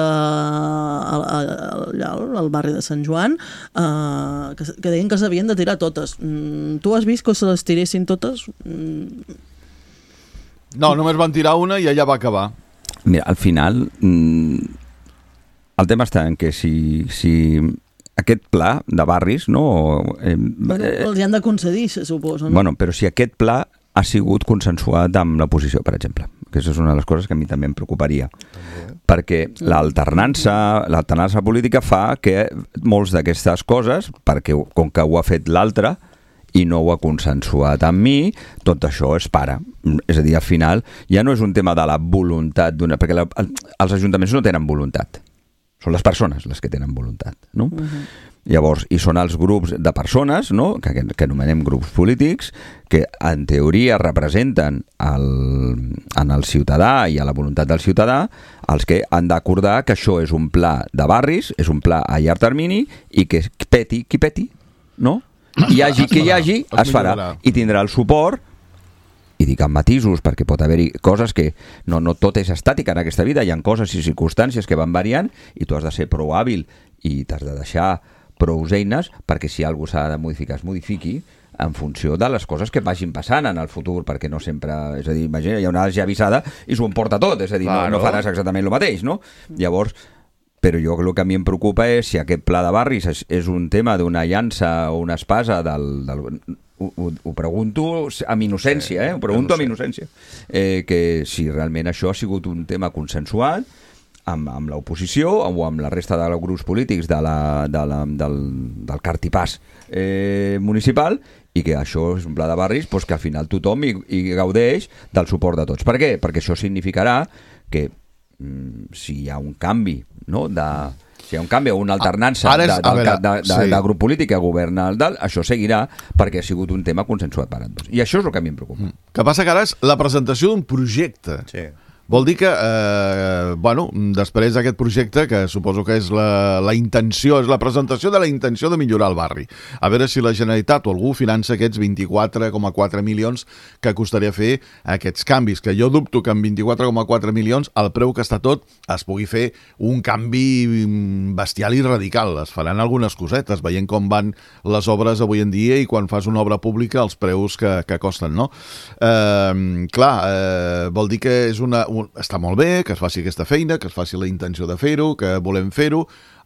Speaker 4: allà al, al barri de Sant Joan, uh, que, que deien que s'havien de tirar totes. Mm, tu has vist que se les tiressin totes? Mm.
Speaker 6: No, només van tirar una i allà va acabar.
Speaker 8: Mira, al final... Mm, el tema està en que si, si aquest pla de barris, no... Eh,
Speaker 4: bueno, els hi han de concedir, se suposa, no?
Speaker 8: Bueno, però si aquest pla ha sigut consensuat amb l'oposició, per exemple, que això és una de les coses que a mi també em preocuparia. També. Perquè l'alternança, l'alternança política fa que molts d'aquestes coses, perquè com que ho ha fet l'altre i no ho ha consensuat amb mi, tot això es para. És a dir, al final ja no és un tema de la voluntat d'una... Perquè la, els ajuntaments no tenen voluntat. Són les persones les que tenen voluntat, no? Uh-huh. Llavors, i són els grups de persones, no?, que, que anomenem grups polítics, que en teoria representen el, en el ciutadà i a la voluntat del ciutadà, els que han d'acordar que això és un pla de barris, és un pla a llarg termini, i que peti, qui peti, no? Hi hagi qui hi hagi, es farà, i tindrà el suport. I dic amb matisos, perquè pot haver-hi coses que no, no tot és estàtic en aquesta vida, hi ha coses i circumstàncies que van variant i tu has de ser prou hàbil i t'has de deixar prou eines perquè si alguna cosa s'ha de modificar es modifiqui en funció de les coses que vagin passant en el futur, perquè no sempre, és a dir, imagina, hi ha una ja avisada i s'ho emporta tot, és a dir, claro. no, no faràs exactament el mateix, no? Llavors, però jo el que a mi em preocupa és si aquest pla de barris és, és un tema d'una llança o una espasa del... del Ho, ho, ho pregunto amb innocència, eh? Ho pregunto amb innocència. Eh, que si realment això ha sigut un tema consensuat amb, amb l'oposició o amb la resta de grups polítics de la, de la, del, del cartipàs eh, municipal i que això és un pla de barris doncs que al final tothom hi, hi gaudeix del suport de tots. Per què? Perquè això significarà que mm, si hi ha un canvi, no?, de... Si hi ha un canvi o una alternança és, de, de, veure, de, de, sí. de grup polític que governa el dalt, això seguirà perquè ha sigut un tema consensuat per tots. I això és el que a mi em preocupa.
Speaker 6: Mm. Que passa que ara és la presentació d'un projecte.
Speaker 5: Sí.
Speaker 6: Vol dir que, eh, bueno, després d'aquest projecte, que suposo que és la, la intenció, és la presentació de la intenció de millorar el barri. A veure si la Generalitat o algú finança aquests vint-i-quatre coma quatre milions que costaria fer aquests canvis, que jo dubto que amb vint-i-quatre coma quatre milions, al preu que està tot, es pugui fer un canvi bestial i radical. Es faran algunes cosetes, veient com van les obres avui en dia i quan fas una obra pública els preus que, que costen, no? Eh, clar, eh, vol dir que és una... Un, està molt bé que es faci aquesta feina, que es faci la intenció de fer-ho, que volem fer-ho.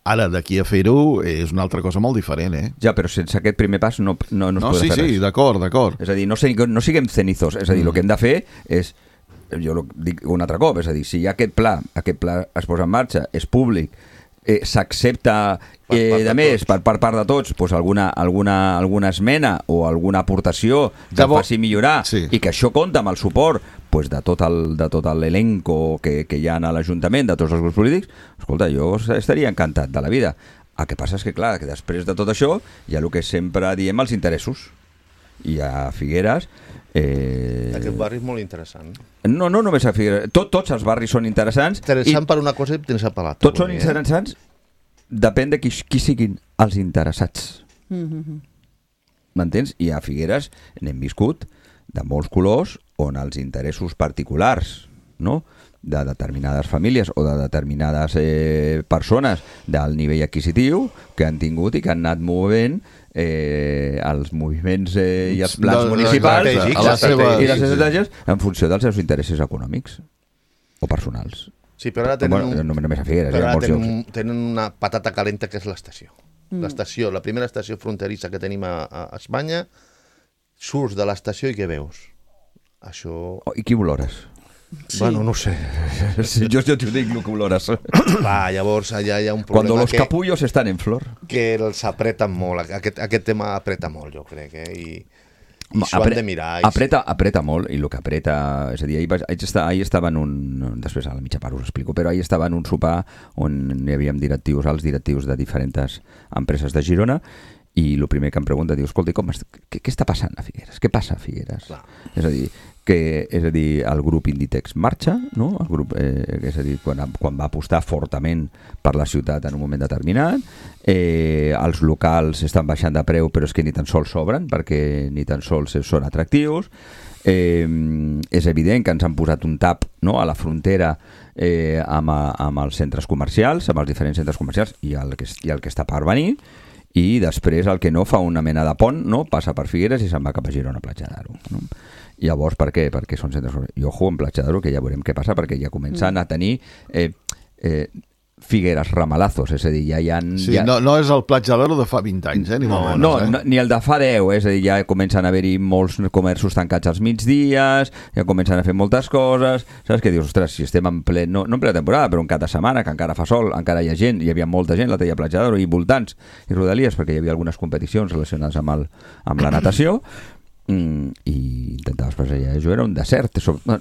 Speaker 6: Ara, d'aquí a fer-ho, és una altra cosa molt diferent, eh?
Speaker 8: Ja, però sense aquest primer pas no, no, no es
Speaker 6: no,
Speaker 8: podrà
Speaker 6: sí,
Speaker 8: fer res.
Speaker 6: Sí, sí, d'acord, d'acord.
Speaker 8: És a dir, no, no siguem cenizos, és a dir, mm. el que hem de fer és, jo dic un altre cop, és a dir, si hi ha aquest pla, aquest pla es posa en marxa, és públic, eh, s'accepta eh, de més per, per part de tots doncs alguna, alguna, alguna esmena o alguna aportació que ja faci millorar sí. I que això compta amb el suport pues, de tot el, de tot l'elenco que, que hi ha a l'Ajuntament, de tots els grups polítics, escolta, jo estaria encantat de la vida. El que passa és que, clar, que després de tot això hi ha el que sempre diem els interessos. I a Figueres... Eh...
Speaker 5: Aquest barri és molt interessant.
Speaker 8: No, no només a Figueres. Tot, tots els barris són interessants.
Speaker 5: Interessant
Speaker 8: i...
Speaker 5: per una cosa i interessant per l'altra.
Speaker 8: Tots són interessants, eh? Depèn de qui, qui siguin els interessats.
Speaker 4: Mm-hmm.
Speaker 8: M'entens? I a Figueres n'hem viscut de molts colors on els interessos particulars, no?, de determinades famílies o de determinades eh, persones del nivell adquisitiu que han tingut i que han anat movent eh, els moviments eh, i els plans de, municipals
Speaker 5: de,
Speaker 8: i les estratègies en funció dels seus interessos econòmics o personals.
Speaker 5: Sí, però ara tenen,
Speaker 8: bueno,
Speaker 5: un,
Speaker 8: no només a Figueres,
Speaker 5: però
Speaker 8: hi ha
Speaker 5: ara
Speaker 8: molts
Speaker 5: tenen,
Speaker 8: llocs.
Speaker 5: un, tenen una patata calenta que és l'estació.
Speaker 4: Mm.
Speaker 5: L'estació, la primera estació fronterissa que tenim a, a Espanya, surts de l'estació i què veus? Això...
Speaker 8: Oh, I qui olores?
Speaker 4: Sí.
Speaker 5: Bueno, no ho sé.
Speaker 8: Sí, jo, jo t'ho dic, el que olores.
Speaker 5: Va, llavors allà hi ha un
Speaker 8: Cuando
Speaker 5: problema
Speaker 8: los
Speaker 5: que,
Speaker 8: capullos están en flor.
Speaker 5: que els apreten molt. Aquest, aquest tema apreta molt, jo crec, eh? I, i
Speaker 8: Ma,
Speaker 5: s'ho han de mirar. I...
Speaker 8: Apreta, apreta molt, i el que apreta... És a dir, ahir, vaig, ahir, estar, ahir estava en un... Després a la mitja part us explico, però ahir estava en un sopar on hi havíem directius, els directius de diferents empreses de Girona, i el primer que em pregunta, diu, escolta, com, què, què està passant a Figueres? Què passa a Figueres?
Speaker 5: Clar.
Speaker 8: És a dir, que és a dir, el grup Inditex marxa, no? El grup, eh, és a dir, quan, quan va apostar fortament per la ciutat en un moment determinat, eh, els locals estan baixant de preu, però és que ni tan sols s'obren, perquè ni tan sols són atractius. Eh, és evident que ens han posat un tap, no?, a la frontera eh, amb, amb els centres comercials, amb els diferents centres comercials i el que, i el que està per venir, i després el que no fa una mena de pont, no, passa per Figueres i se'n va cap a Girona, a Platja d'Aro, no? I llavors per què? Perquè són centres... I ojo, en Platja d'Aro, que ja veurem què passa, perquè ja comencen a tenir eh, eh, Figueres ramalazos, és a dir, ja hi ha...
Speaker 6: Sí,
Speaker 8: ja...
Speaker 6: no, no és el Platja d'Aro de fa vint anys, eh? Ni
Speaker 8: No,
Speaker 6: molt
Speaker 8: no,
Speaker 6: menys, eh?
Speaker 8: no, ni el de fa deu, és a dir, ja comencen a haver-hi molts comerços tancats als migdies, ja comencen a fer moltes coses, saps què dius? Ostres, si estem en ple, no, no en plena temporada, però en cada setmana, que encara fa sol, encara hi ha gent, hi havia molta gent, la teia Platja d'Aro i voltants i rodalies, perquè hi havia algunes competicions relacionades amb, el, amb la natació, Mm, i intentaves passejar. Jo era un desert,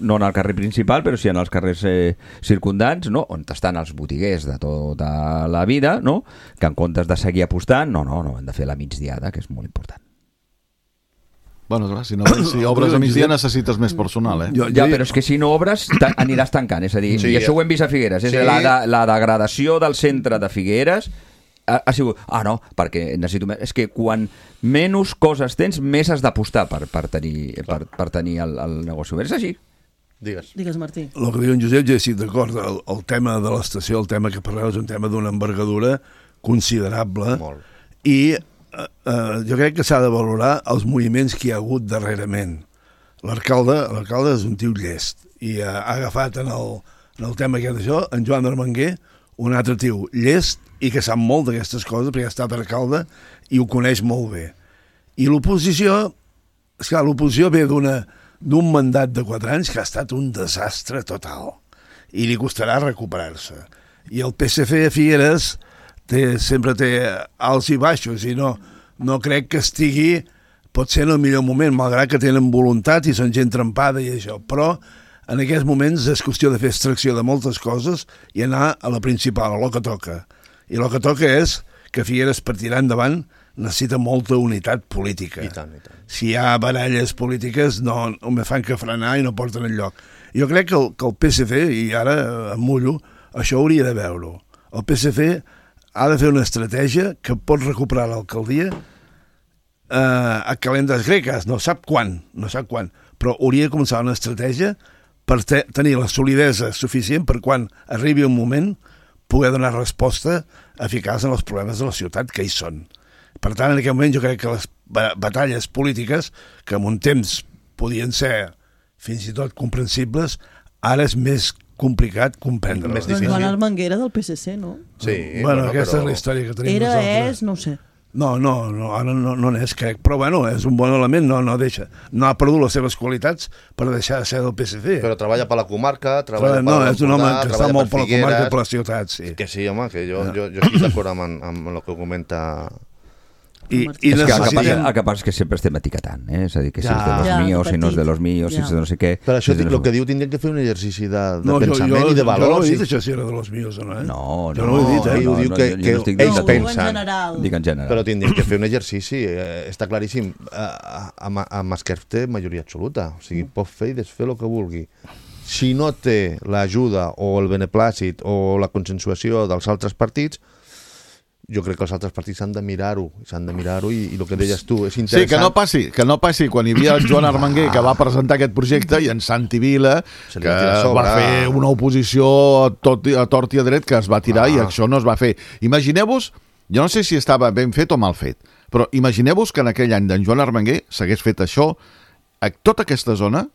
Speaker 8: no en el carrer principal, però sí en els carrers eh, circundants, no? On estan els botiguers de tota la vida, no? Que en comptes de seguir apostant, no, no, no, han de fer la migdiada, que és molt important.
Speaker 6: Bueno, clar, si, no, si obres a migdia necessites més personal, eh?
Speaker 7: Jo,
Speaker 8: Ja,
Speaker 7: jo,
Speaker 8: però és que si no obres aniràs tancant, és a dir,
Speaker 5: Sí,
Speaker 8: i això ho hem vist a Figueres, és
Speaker 5: sí.
Speaker 8: la, de, la degradació del centre de Figueres ha, ha sigut, ah no, perquè necessito més, és que quan menys coses tens, més has d'apostar per, per tenir, per, per tenir el, el negoci obert, és així.
Speaker 5: Digues.
Speaker 4: Digues, Martí.
Speaker 7: el que diu en Josep, jo estic d'acord, el, el tema de l'estació, el tema que parleu és un tema d'una envergadura considerable.
Speaker 5: Molt.
Speaker 7: I eh, eh, jo crec que s'ha de valorar els moviments que hi ha hagut darrerament. L'alcalde l'alcalde és un tio llest i ha, ha agafat en el, en el tema aquest d'això en Joan Armenguer, un altre tio llest i que sap molt d'aquestes coses perquè ha estat alcalde i ho coneix molt bé. I l'oposició, esclar, l'oposició ve d'una d'un mandat de quatre anys que ha estat un desastre total i li costarà recuperar-se. I el P S C a Figueres té, sempre té alts i baixos i no, no crec que estigui potser en el millor moment, malgrat que tenen voluntat i són gent trempada i això, però en aquests moments és qüestió de fer extracció de moltes coses i anar a la principal, a lo que toca. I el que toca és que Figueres, per tirar endavant, necessita molta unitat política.
Speaker 5: I tant, i tant.
Speaker 7: Si hi ha baralles polítiques, no, no me fan que frenar i no porten enlloc. Jo crec que el, que el P S C, i ara em mullo, això hauria de veure-ho. El P S C ha de fer una estratègia que pot recuperar l'alcaldia eh, a calendes greques, no sap quan, no sap quan, però hauria de començar una estratègia per te tenir la solidesa suficient per quan arribi un moment poder donar resposta eficaç en els problemes de la ciutat que hi són. Per tant, en aquest moment jo crec que les batalles polítiques, que en un temps podien ser fins i tot comprensibles, ara és més complicat comprendre.
Speaker 5: Més
Speaker 4: Doncs
Speaker 5: difícil.
Speaker 4: Joan Armenguera del P S C, no?
Speaker 5: Sí,
Speaker 7: Bueno, aquesta
Speaker 5: però...
Speaker 7: és la història que tenim
Speaker 4: Era,
Speaker 7: nosaltres.
Speaker 4: és, no ho sé.
Speaker 7: No, no, no, ara no, no n'és, crec. Però bueno, és un bon element, no, no deixa. No ha perdut les seves qualitats per deixar de ser del P S C.
Speaker 5: Però treballa per la comarca, treballa
Speaker 7: Però, no,
Speaker 5: per
Speaker 7: és un home que està molt per la
Speaker 5: Figueres.
Speaker 7: comarca i per la ciutat, sí.
Speaker 5: Que sí, home, que jo, jo, jo estic d'acord amb, amb el que comenta...
Speaker 7: I,
Speaker 4: Martí.
Speaker 7: i
Speaker 8: És que el que, passa,
Speaker 7: necessitem...
Speaker 8: el que passa és que sempre estem etiquetant, eh? És a dir, que si
Speaker 5: Ja.
Speaker 8: és de los
Speaker 4: Ja,
Speaker 8: míos, si no és de los míos, si
Speaker 4: ja.
Speaker 8: és de no sé què...
Speaker 5: Per això
Speaker 8: si és de
Speaker 5: dic,
Speaker 8: no
Speaker 5: el
Speaker 8: sé-
Speaker 5: que diu, tindrien que fer un exercici de, de
Speaker 7: No, jo,
Speaker 5: pensament
Speaker 7: jo,
Speaker 5: i de
Speaker 7: jo no
Speaker 5: valors.
Speaker 7: ho he dit,
Speaker 5: i-
Speaker 7: això, si era de los míos o no, eh?
Speaker 8: No, no,
Speaker 7: Jo no ho he dit, eh?
Speaker 5: Ell ho diu
Speaker 8: no,
Speaker 5: que-
Speaker 8: jo- jo
Speaker 5: que
Speaker 8: no estic
Speaker 5: ells
Speaker 8: dient
Speaker 4: No, ho diu en
Speaker 5: pensen.
Speaker 4: general.
Speaker 8: Dic en general.
Speaker 5: Però tindrien que fer un exercici, eh, està claríssim. Eh, amb, amb Esquerp té majoria absoluta, o sigui, pot fer i desfer el que vulgui. Si no té l'ajuda o el beneplàcit o la consensuació dels altres partits, jo crec que els altres partits s'han de mirar-ho, s'han de mirar-ho i, i el que deies tu, és
Speaker 6: Sí,
Speaker 5: interessant.
Speaker 6: que no passi, que no passi quan hi havia el Joan Armenguer que va presentar aquest projecte i en Santi Vila
Speaker 5: Se li
Speaker 6: que
Speaker 5: va tirar a sobre.
Speaker 6: va fer una oposició a, tot, a tort i a dret que es va tirar
Speaker 5: Ah.
Speaker 6: i això no es va fer. Imagineu-vos, jo no sé si estava ben fet o mal fet, però imagineu-vos que en aquell any d'en Joan Armenguer s'hagués fet això, a tota aquesta zona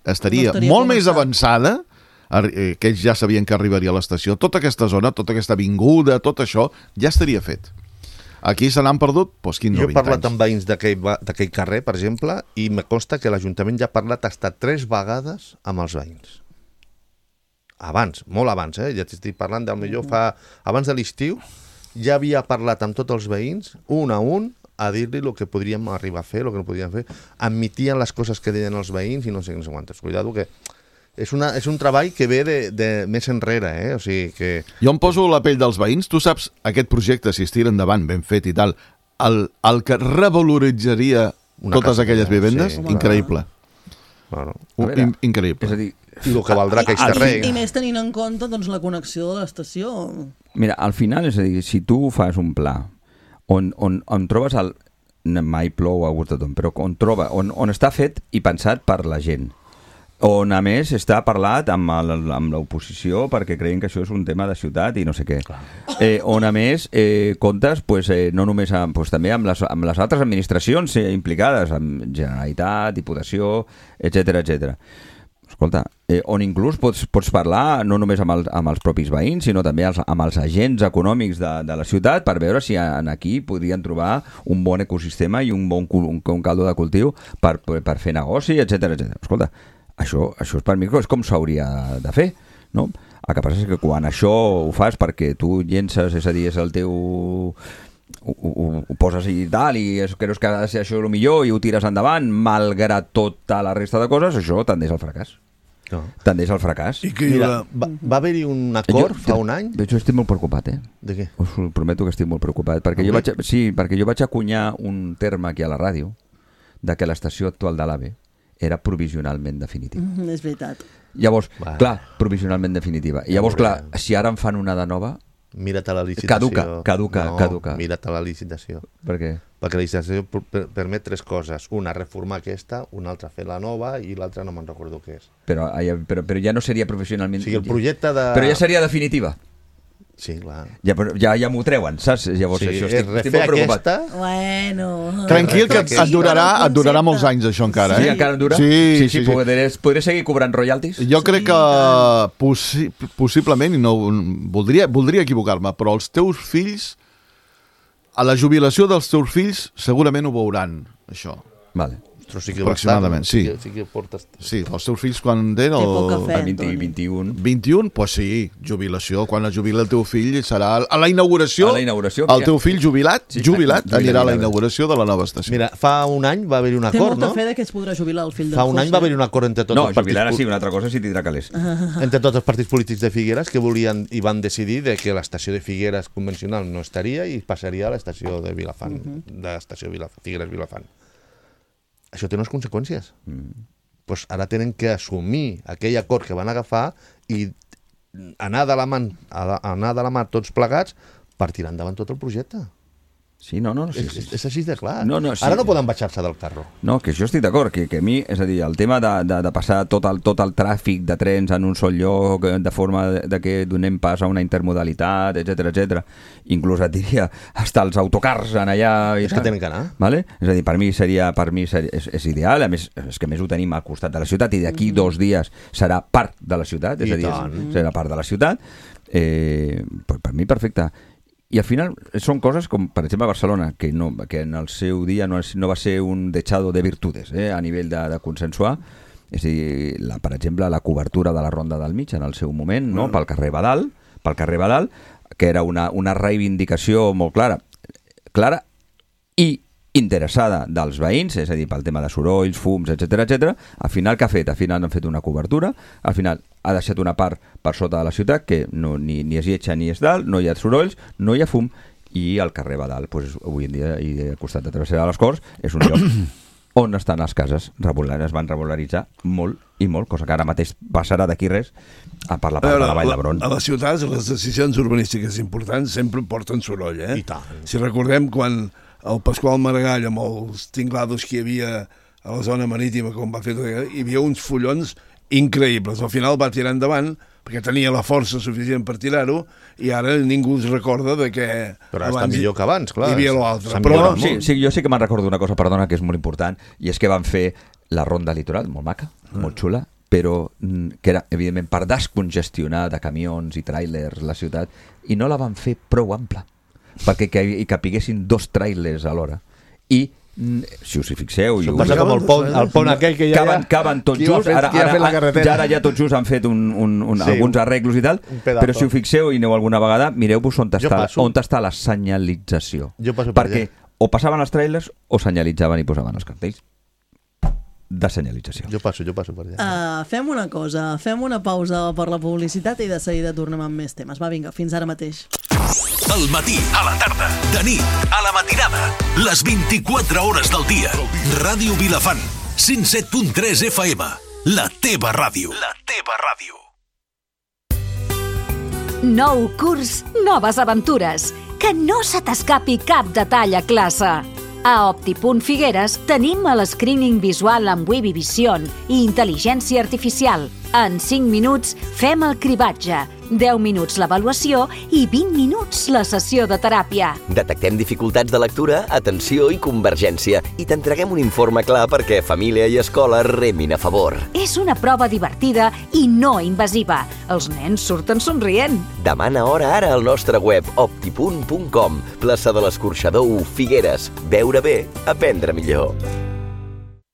Speaker 6: estaria,
Speaker 4: No estaria
Speaker 6: molt més
Speaker 4: connectat.
Speaker 6: avançada que ells ja sabien que arribaria a l'estació, tota aquesta zona, tota aquesta avinguda, tot això, ja estaria fet. Aquí se n'han perdut doncs, quinze o vint anys.
Speaker 5: Jo he parlat amb veïns d'aquell carrer, per exemple, i me consta que l'Ajuntament ja ha parlat hasta tres vegades amb els veïns. Abans, molt abans, eh? Ja t'estic parlant del millor fa... Abans de l'estiu ja havia parlat amb tots els veïns, un a un, a dir-li el que podríem arribar a fer, el que no podríem fer. Admitien les coses que deien els veïns i no sé què no sé quantes. Cuidado que... És, una, és un treball que ve de, de més enrere, eh? O sigui que...
Speaker 6: Jo em poso la pell dels veïns. Tu saps, aquest projecte, si es tira endavant, ben fet i tal, el, el que revaloritzaria una totes casa, aquelles vivendes, sí. Increïble.
Speaker 5: Bueno,
Speaker 6: veure, In, increïble.
Speaker 8: És a dir,
Speaker 5: i el que valdrà aquells terrenys.
Speaker 4: I més tenint en compte doncs, la connexió de l'estació.
Speaker 8: Mira, al final, és a dir, si tu fas un pla on, on, on trobes el... mai plou a gust de tothom, però on, troba, on, on està fet i pensat per la gent, on a més està parlat amb, el, amb l'oposició perquè creien que això és un tema de ciutat i no sé què, eh, on a més eh, comptes pues, eh, no només amb, pues, també amb les, amb les altres administracions eh, implicades, amb Generalitat, Diputació, etcètera, etcètera. Escolta, eh, on inclús pots, pots parlar no només amb, el, amb els propis veïns, sinó també els, amb els agents econòmics de, de la ciutat per veure si en aquí podrien trobar un bon ecosistema i un bon un, un caldo de cultiu per, per, per fer negoci, etcètera, etcètera. Escolta, això, això és per mi és com s'hauria de fer, no? El que passa és que quan això ho fas perquè tu llences, és a dir, és el teu... Ho, ho, ho poses i tal i creus que ha de ser això el millor i ho tires endavant, malgrat tota la resta de coses, això tendeix al fracàs. No. Tendeix al fracàs.
Speaker 5: I que Mira, va, va haver-hi un acord jo, fa un any?
Speaker 8: Jo estic molt preocupat, eh?
Speaker 5: De què?
Speaker 8: Us prometo que estic molt preocupat, perquè jo vaig, sí, perquè jo vaig acunyar un terme aquí a la ràdio de que l'estació actual de l'AVE era provisionalment definitiva.
Speaker 4: Mm, és veritat.
Speaker 8: Llavors, Va. clar, provisionalment definitiva. I llavors, clar, si ara en fan una de nova...
Speaker 5: Mira't a la licitació.
Speaker 8: Caduca, caduca,
Speaker 5: no,
Speaker 8: caduca.
Speaker 5: Mira't a la licitació.
Speaker 8: Per què?
Speaker 5: Perquè la licitació per permet tres coses. Una, reformar aquesta, una altra fer la nova i l'altra no me'n recordo què és.
Speaker 8: Però, però, però ja no seria professionalment...
Speaker 5: O sigui, el projecte de...
Speaker 8: Però ja seria definitiva.
Speaker 5: Sí, clar.
Speaker 8: Ja, ja, ja m'ho treuen, saps? Llavors,
Speaker 5: sí,
Speaker 8: això estic, estic molt preocupat.
Speaker 4: Aquesta... Bueno...
Speaker 6: Tranquil, que et durarà, et durarà molts anys, això, encara.
Speaker 8: Sí,
Speaker 6: eh?
Speaker 8: encara dura?
Speaker 6: Sí,
Speaker 8: sí, sí,
Speaker 6: sí, sí.
Speaker 8: Podré, podré seguir cobrant royalties?
Speaker 6: Jo crec que possi possiblement, i no, voldria, voldria equivocar-me, però els teus fills, a la jubilació dels teus fills, segurament ho veuran, això.
Speaker 8: Vale.
Speaker 5: Però sí que
Speaker 6: aproximadament, sí.
Speaker 5: Sí, sí, que portes...
Speaker 6: sí, els teus fills quan tenen...
Speaker 4: Té poca fe,
Speaker 8: el vint, vint-i-un.
Speaker 6: vint-i-un? Doncs pues sí, jubilació. Quan es jubila el teu fill serà... A la inauguració,
Speaker 8: a la inauguració
Speaker 6: el teu fill jubilat,
Speaker 8: sí,
Speaker 6: jubilat,
Speaker 8: jubilat
Speaker 6: anirà a la inauguració de la nova estació.
Speaker 5: Mira, fa un any va haver-hi un acord, no?
Speaker 4: Té molta fe que es podrà jubilar el fill del
Speaker 5: Fa un any va haver-hi un acord entre tots
Speaker 8: no,
Speaker 5: els partits...
Speaker 8: No, jubilar sí, una altra cosa si tindrà calés.
Speaker 5: Entre tots els partits polítics de Figueres que volien i van decidir de que l'estació de Figueres convencional no estaria i passaria a l'estació de Vilafant, uh -huh. de l'estació Figueres-Vilafant. Això té unes conseqüències. Mm. Pues ara tenen que assumir aquell acord que van agafar i anar de la mà, anar de la mà tots plegats per tirar endavant tot el projecte.
Speaker 8: Sí, no, no. Sí,
Speaker 5: és,
Speaker 8: sí.
Speaker 5: és així de clar.
Speaker 8: No, no, sí.
Speaker 5: Ara no poden baixar-se del carro.
Speaker 8: No, que jo estic d'acord, que, que a mi, és a dir, el tema de, de, de passar tot el, tot el tràfic de trens en un sol lloc, de forma de, de que donem pas a una intermodalitat, etcètera, etcètera, inclús et diria, hasta els autocars en allà...
Speaker 5: És que tenen que anar.
Speaker 8: Vale? És a dir, per mi seria, per mi seria, és, és ideal, a més, és que més ho tenim al costat de la ciutat i d'aquí mm. dos dies serà part de la ciutat, és
Speaker 5: I
Speaker 8: a dir,
Speaker 5: tant.
Speaker 8: serà part de la ciutat. Eh, per, per mi, perfecte. I al final són coses com, per exemple, a Barcelona, que, no, que en el seu dia no, és, no va ser un dechado de virtudes eh, a nivell de, de consensuar. És a dir, la, per exemple, la cobertura de la Ronda del Mig en el seu moment, no? mm. pel carrer Badal, pel carrer Badal, que era una, una reivindicació molt clara, clara i interessada dels veïns, és a dir, pel tema de sorolls, fums, etcètera, etcètera. Al final, què ha fet? Al final han fet una cobertura, al final ha deixat una part per sota de la ciutat que no, ni, ni és lletja ni és dalt, no hi ha sorolls, no hi ha fum, i al carrer Badal, doncs, avui en dia, i al costat de Travessera de les Corts, és un lloc on estan les cases regulars, es van regularitzar molt i molt, cosa que ara mateix passarà d'aquí res a per la part de la Vall d'Hebron.
Speaker 7: A les ciutats, les decisions urbanístiques importants sempre porten soroll, eh?
Speaker 5: I tant.
Speaker 7: Si recordem quan el Pasqual Maragall, amb els tinglados que hi havia a la zona marítima, com va fer tot, hi havia uns follons increïbles. Al final va tirar endavant, perquè tenia la força suficient per tirar-ho, i ara ningú es recorda de que...
Speaker 5: Però està millor que abans, clar.
Speaker 7: Hi havia l'altre.
Speaker 5: Però...
Speaker 8: Sí, sí, jo sí que me'n recordo una cosa, perdona, que és molt important, i és que van fer la ronda litoral, molt maca, molt xula, però que era, evidentment, per descongestionar de camions i tràilers la ciutat, i no la van fer prou ampla, perquè que, hi capiguessin dos tràilers alhora. I, si us hi fixeu...
Speaker 5: Això passa com el pont, el pont aquell que ja...
Speaker 8: Caben, caben tot just, ara, ara, ara, ara ja tot just han fet un, un, un, sí, alguns arreglos i tal, però si ho fixeu i aneu alguna vegada, mireu-vos on està, on està la senyalització. Per perquè o passaven els tràilers o senyalitzaven i posaven els cartells de senyalització.
Speaker 5: Jo passo, jo passo per allà.
Speaker 4: Uh, fem una cosa, fem una pausa per la publicitat i de seguida tornem amb més temes. Va, vinga, fins ara mateix.
Speaker 9: Al matí, a la tarda, de nit, a la matinada, les vint-i-quatre hores del dia. Ràdio Vilafant, cent set punt tres F M, la teva ràdio. La teva ràdio.
Speaker 10: Nou curs, noves aventures. Que no se t'escapi cap detall a classe. A Optipunt Figueres tenim el screening visual amb Webby Vision i intel·ligència artificial. En cinc minuts fem el cribatge, deu minuts l'avaluació i vint minuts la sessió de teràpia.
Speaker 11: Detectem dificultats de lectura, atenció i convergència i t'entreguem un informe clar perquè família i escola remin a favor.
Speaker 10: És una prova divertida i no invasiva. Els nens surten somrient.
Speaker 11: Demana hora ara al nostre web optipunt punt com. Plaça de l'Escorxador u, Figueres. Veure bé, aprendre millor.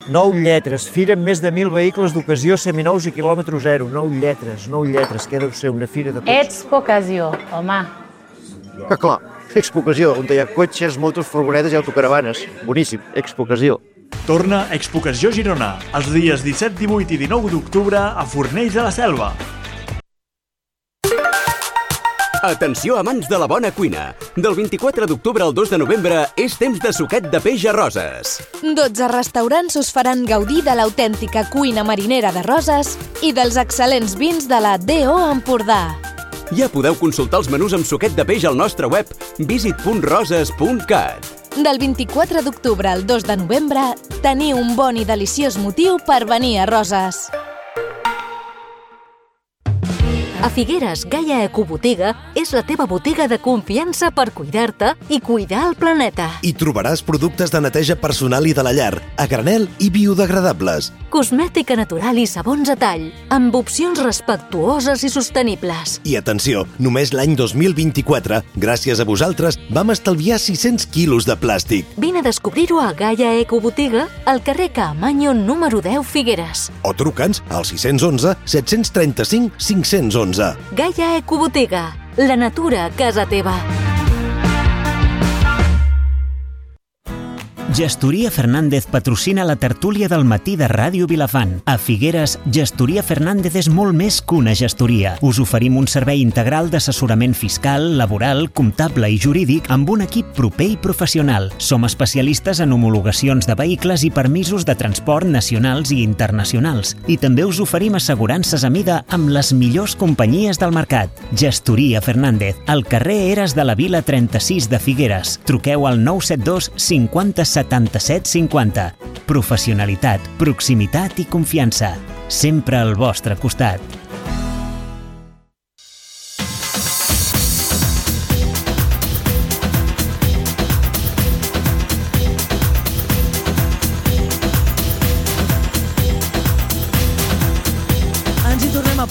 Speaker 12: Nou lletres, fira amb més de mil vehicles d'ocasió seminous i quilòmetre zero. Nou lletres, nou lletres, què deu ser una fira de tots?
Speaker 13: Expo Ocasió, home.
Speaker 12: Que clar, Expo Ocasió, on hi ha cotxes, motos, furgonetes i autocaravanes. Boníssim, Expo Ocasió.
Speaker 14: Torna Expo Ocasió Girona, els dies disset, divuit i dinou d'octubre a Fornells de la Selva.
Speaker 15: Atenció amants de la bona cuina. Del vint-i-quatre d'octubre al dos de novembre és temps de suquet de peix a Roses.
Speaker 16: dotze restaurants us faran gaudir de l'autèntica cuina marinera de Roses i dels excel·lents vins de la D O Empordà.
Speaker 15: Ja podeu consultar els menús amb suquet de peix al nostre web visit punt roses punt cat.
Speaker 16: Del vint-i-quatre d'octubre al dos de novembre teniu un bon i deliciós motiu per venir a Roses.
Speaker 10: A Figueres, Gaia Ecobotiga és la teva botiga de confiança per cuidar-te i cuidar el planeta.
Speaker 17: Hi trobaràs productes de neteja personal i de la llar, a granel i biodegradables.
Speaker 10: Cosmètica natural i sabons a tall, amb opcions respectuoses i sostenibles.
Speaker 17: I atenció, només l'any dos mil vint-i-quatre, gràcies a vosaltres, vam estalviar sis-cents quilos de plàstic.
Speaker 10: Vine a descobrir-ho a Gaia Ecobotiga, al carrer Caamaño número deu, Figueres.
Speaker 17: O truca'ns al sis u u, set tres cinc, cinc u u.
Speaker 10: Gaia Ecobotiga, la natura a casa teva.
Speaker 3: Gestoria Fernández patrocina la tertúlia del matí de Ràdio Vilafant. A Figueres, Gestoria Fernández és molt més que una gestoria. Us oferim un servei integral d'assessorament fiscal, laboral, comptable i jurídic amb un equip proper i professional. Som especialistes en homologacions de vehicles i permisos de transport nacionals i internacionals. I també us oferim assegurances a mida amb les millors companyies del mercat. Gestoria Fernández, al carrer Eres de la Vila trenta-sis de Figueres. Truqueu al nou set dos cinquanta setanta-set cinquanta. Professionalitat, proximitat i confiança. Sempre al vostre costat.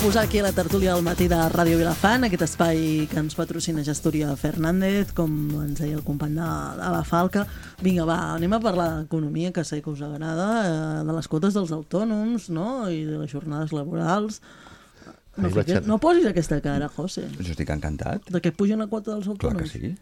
Speaker 4: Posar aquí a la tertúlia del matí de Ràdio Vilafant, aquest espai que ens patrocina Gestoria Fernández, com ens deia el company de, de la Falca. Vinga, va, anem a parlar d'economia, que sé que us agrada, eh, de les quotes dels autònoms, no?, i de les jornades laborals. No, fiquet, no posis aquesta cara, José.
Speaker 8: Jo estic encantat.
Speaker 4: De què pugen la quota dels autònoms?
Speaker 8: Clar que sí.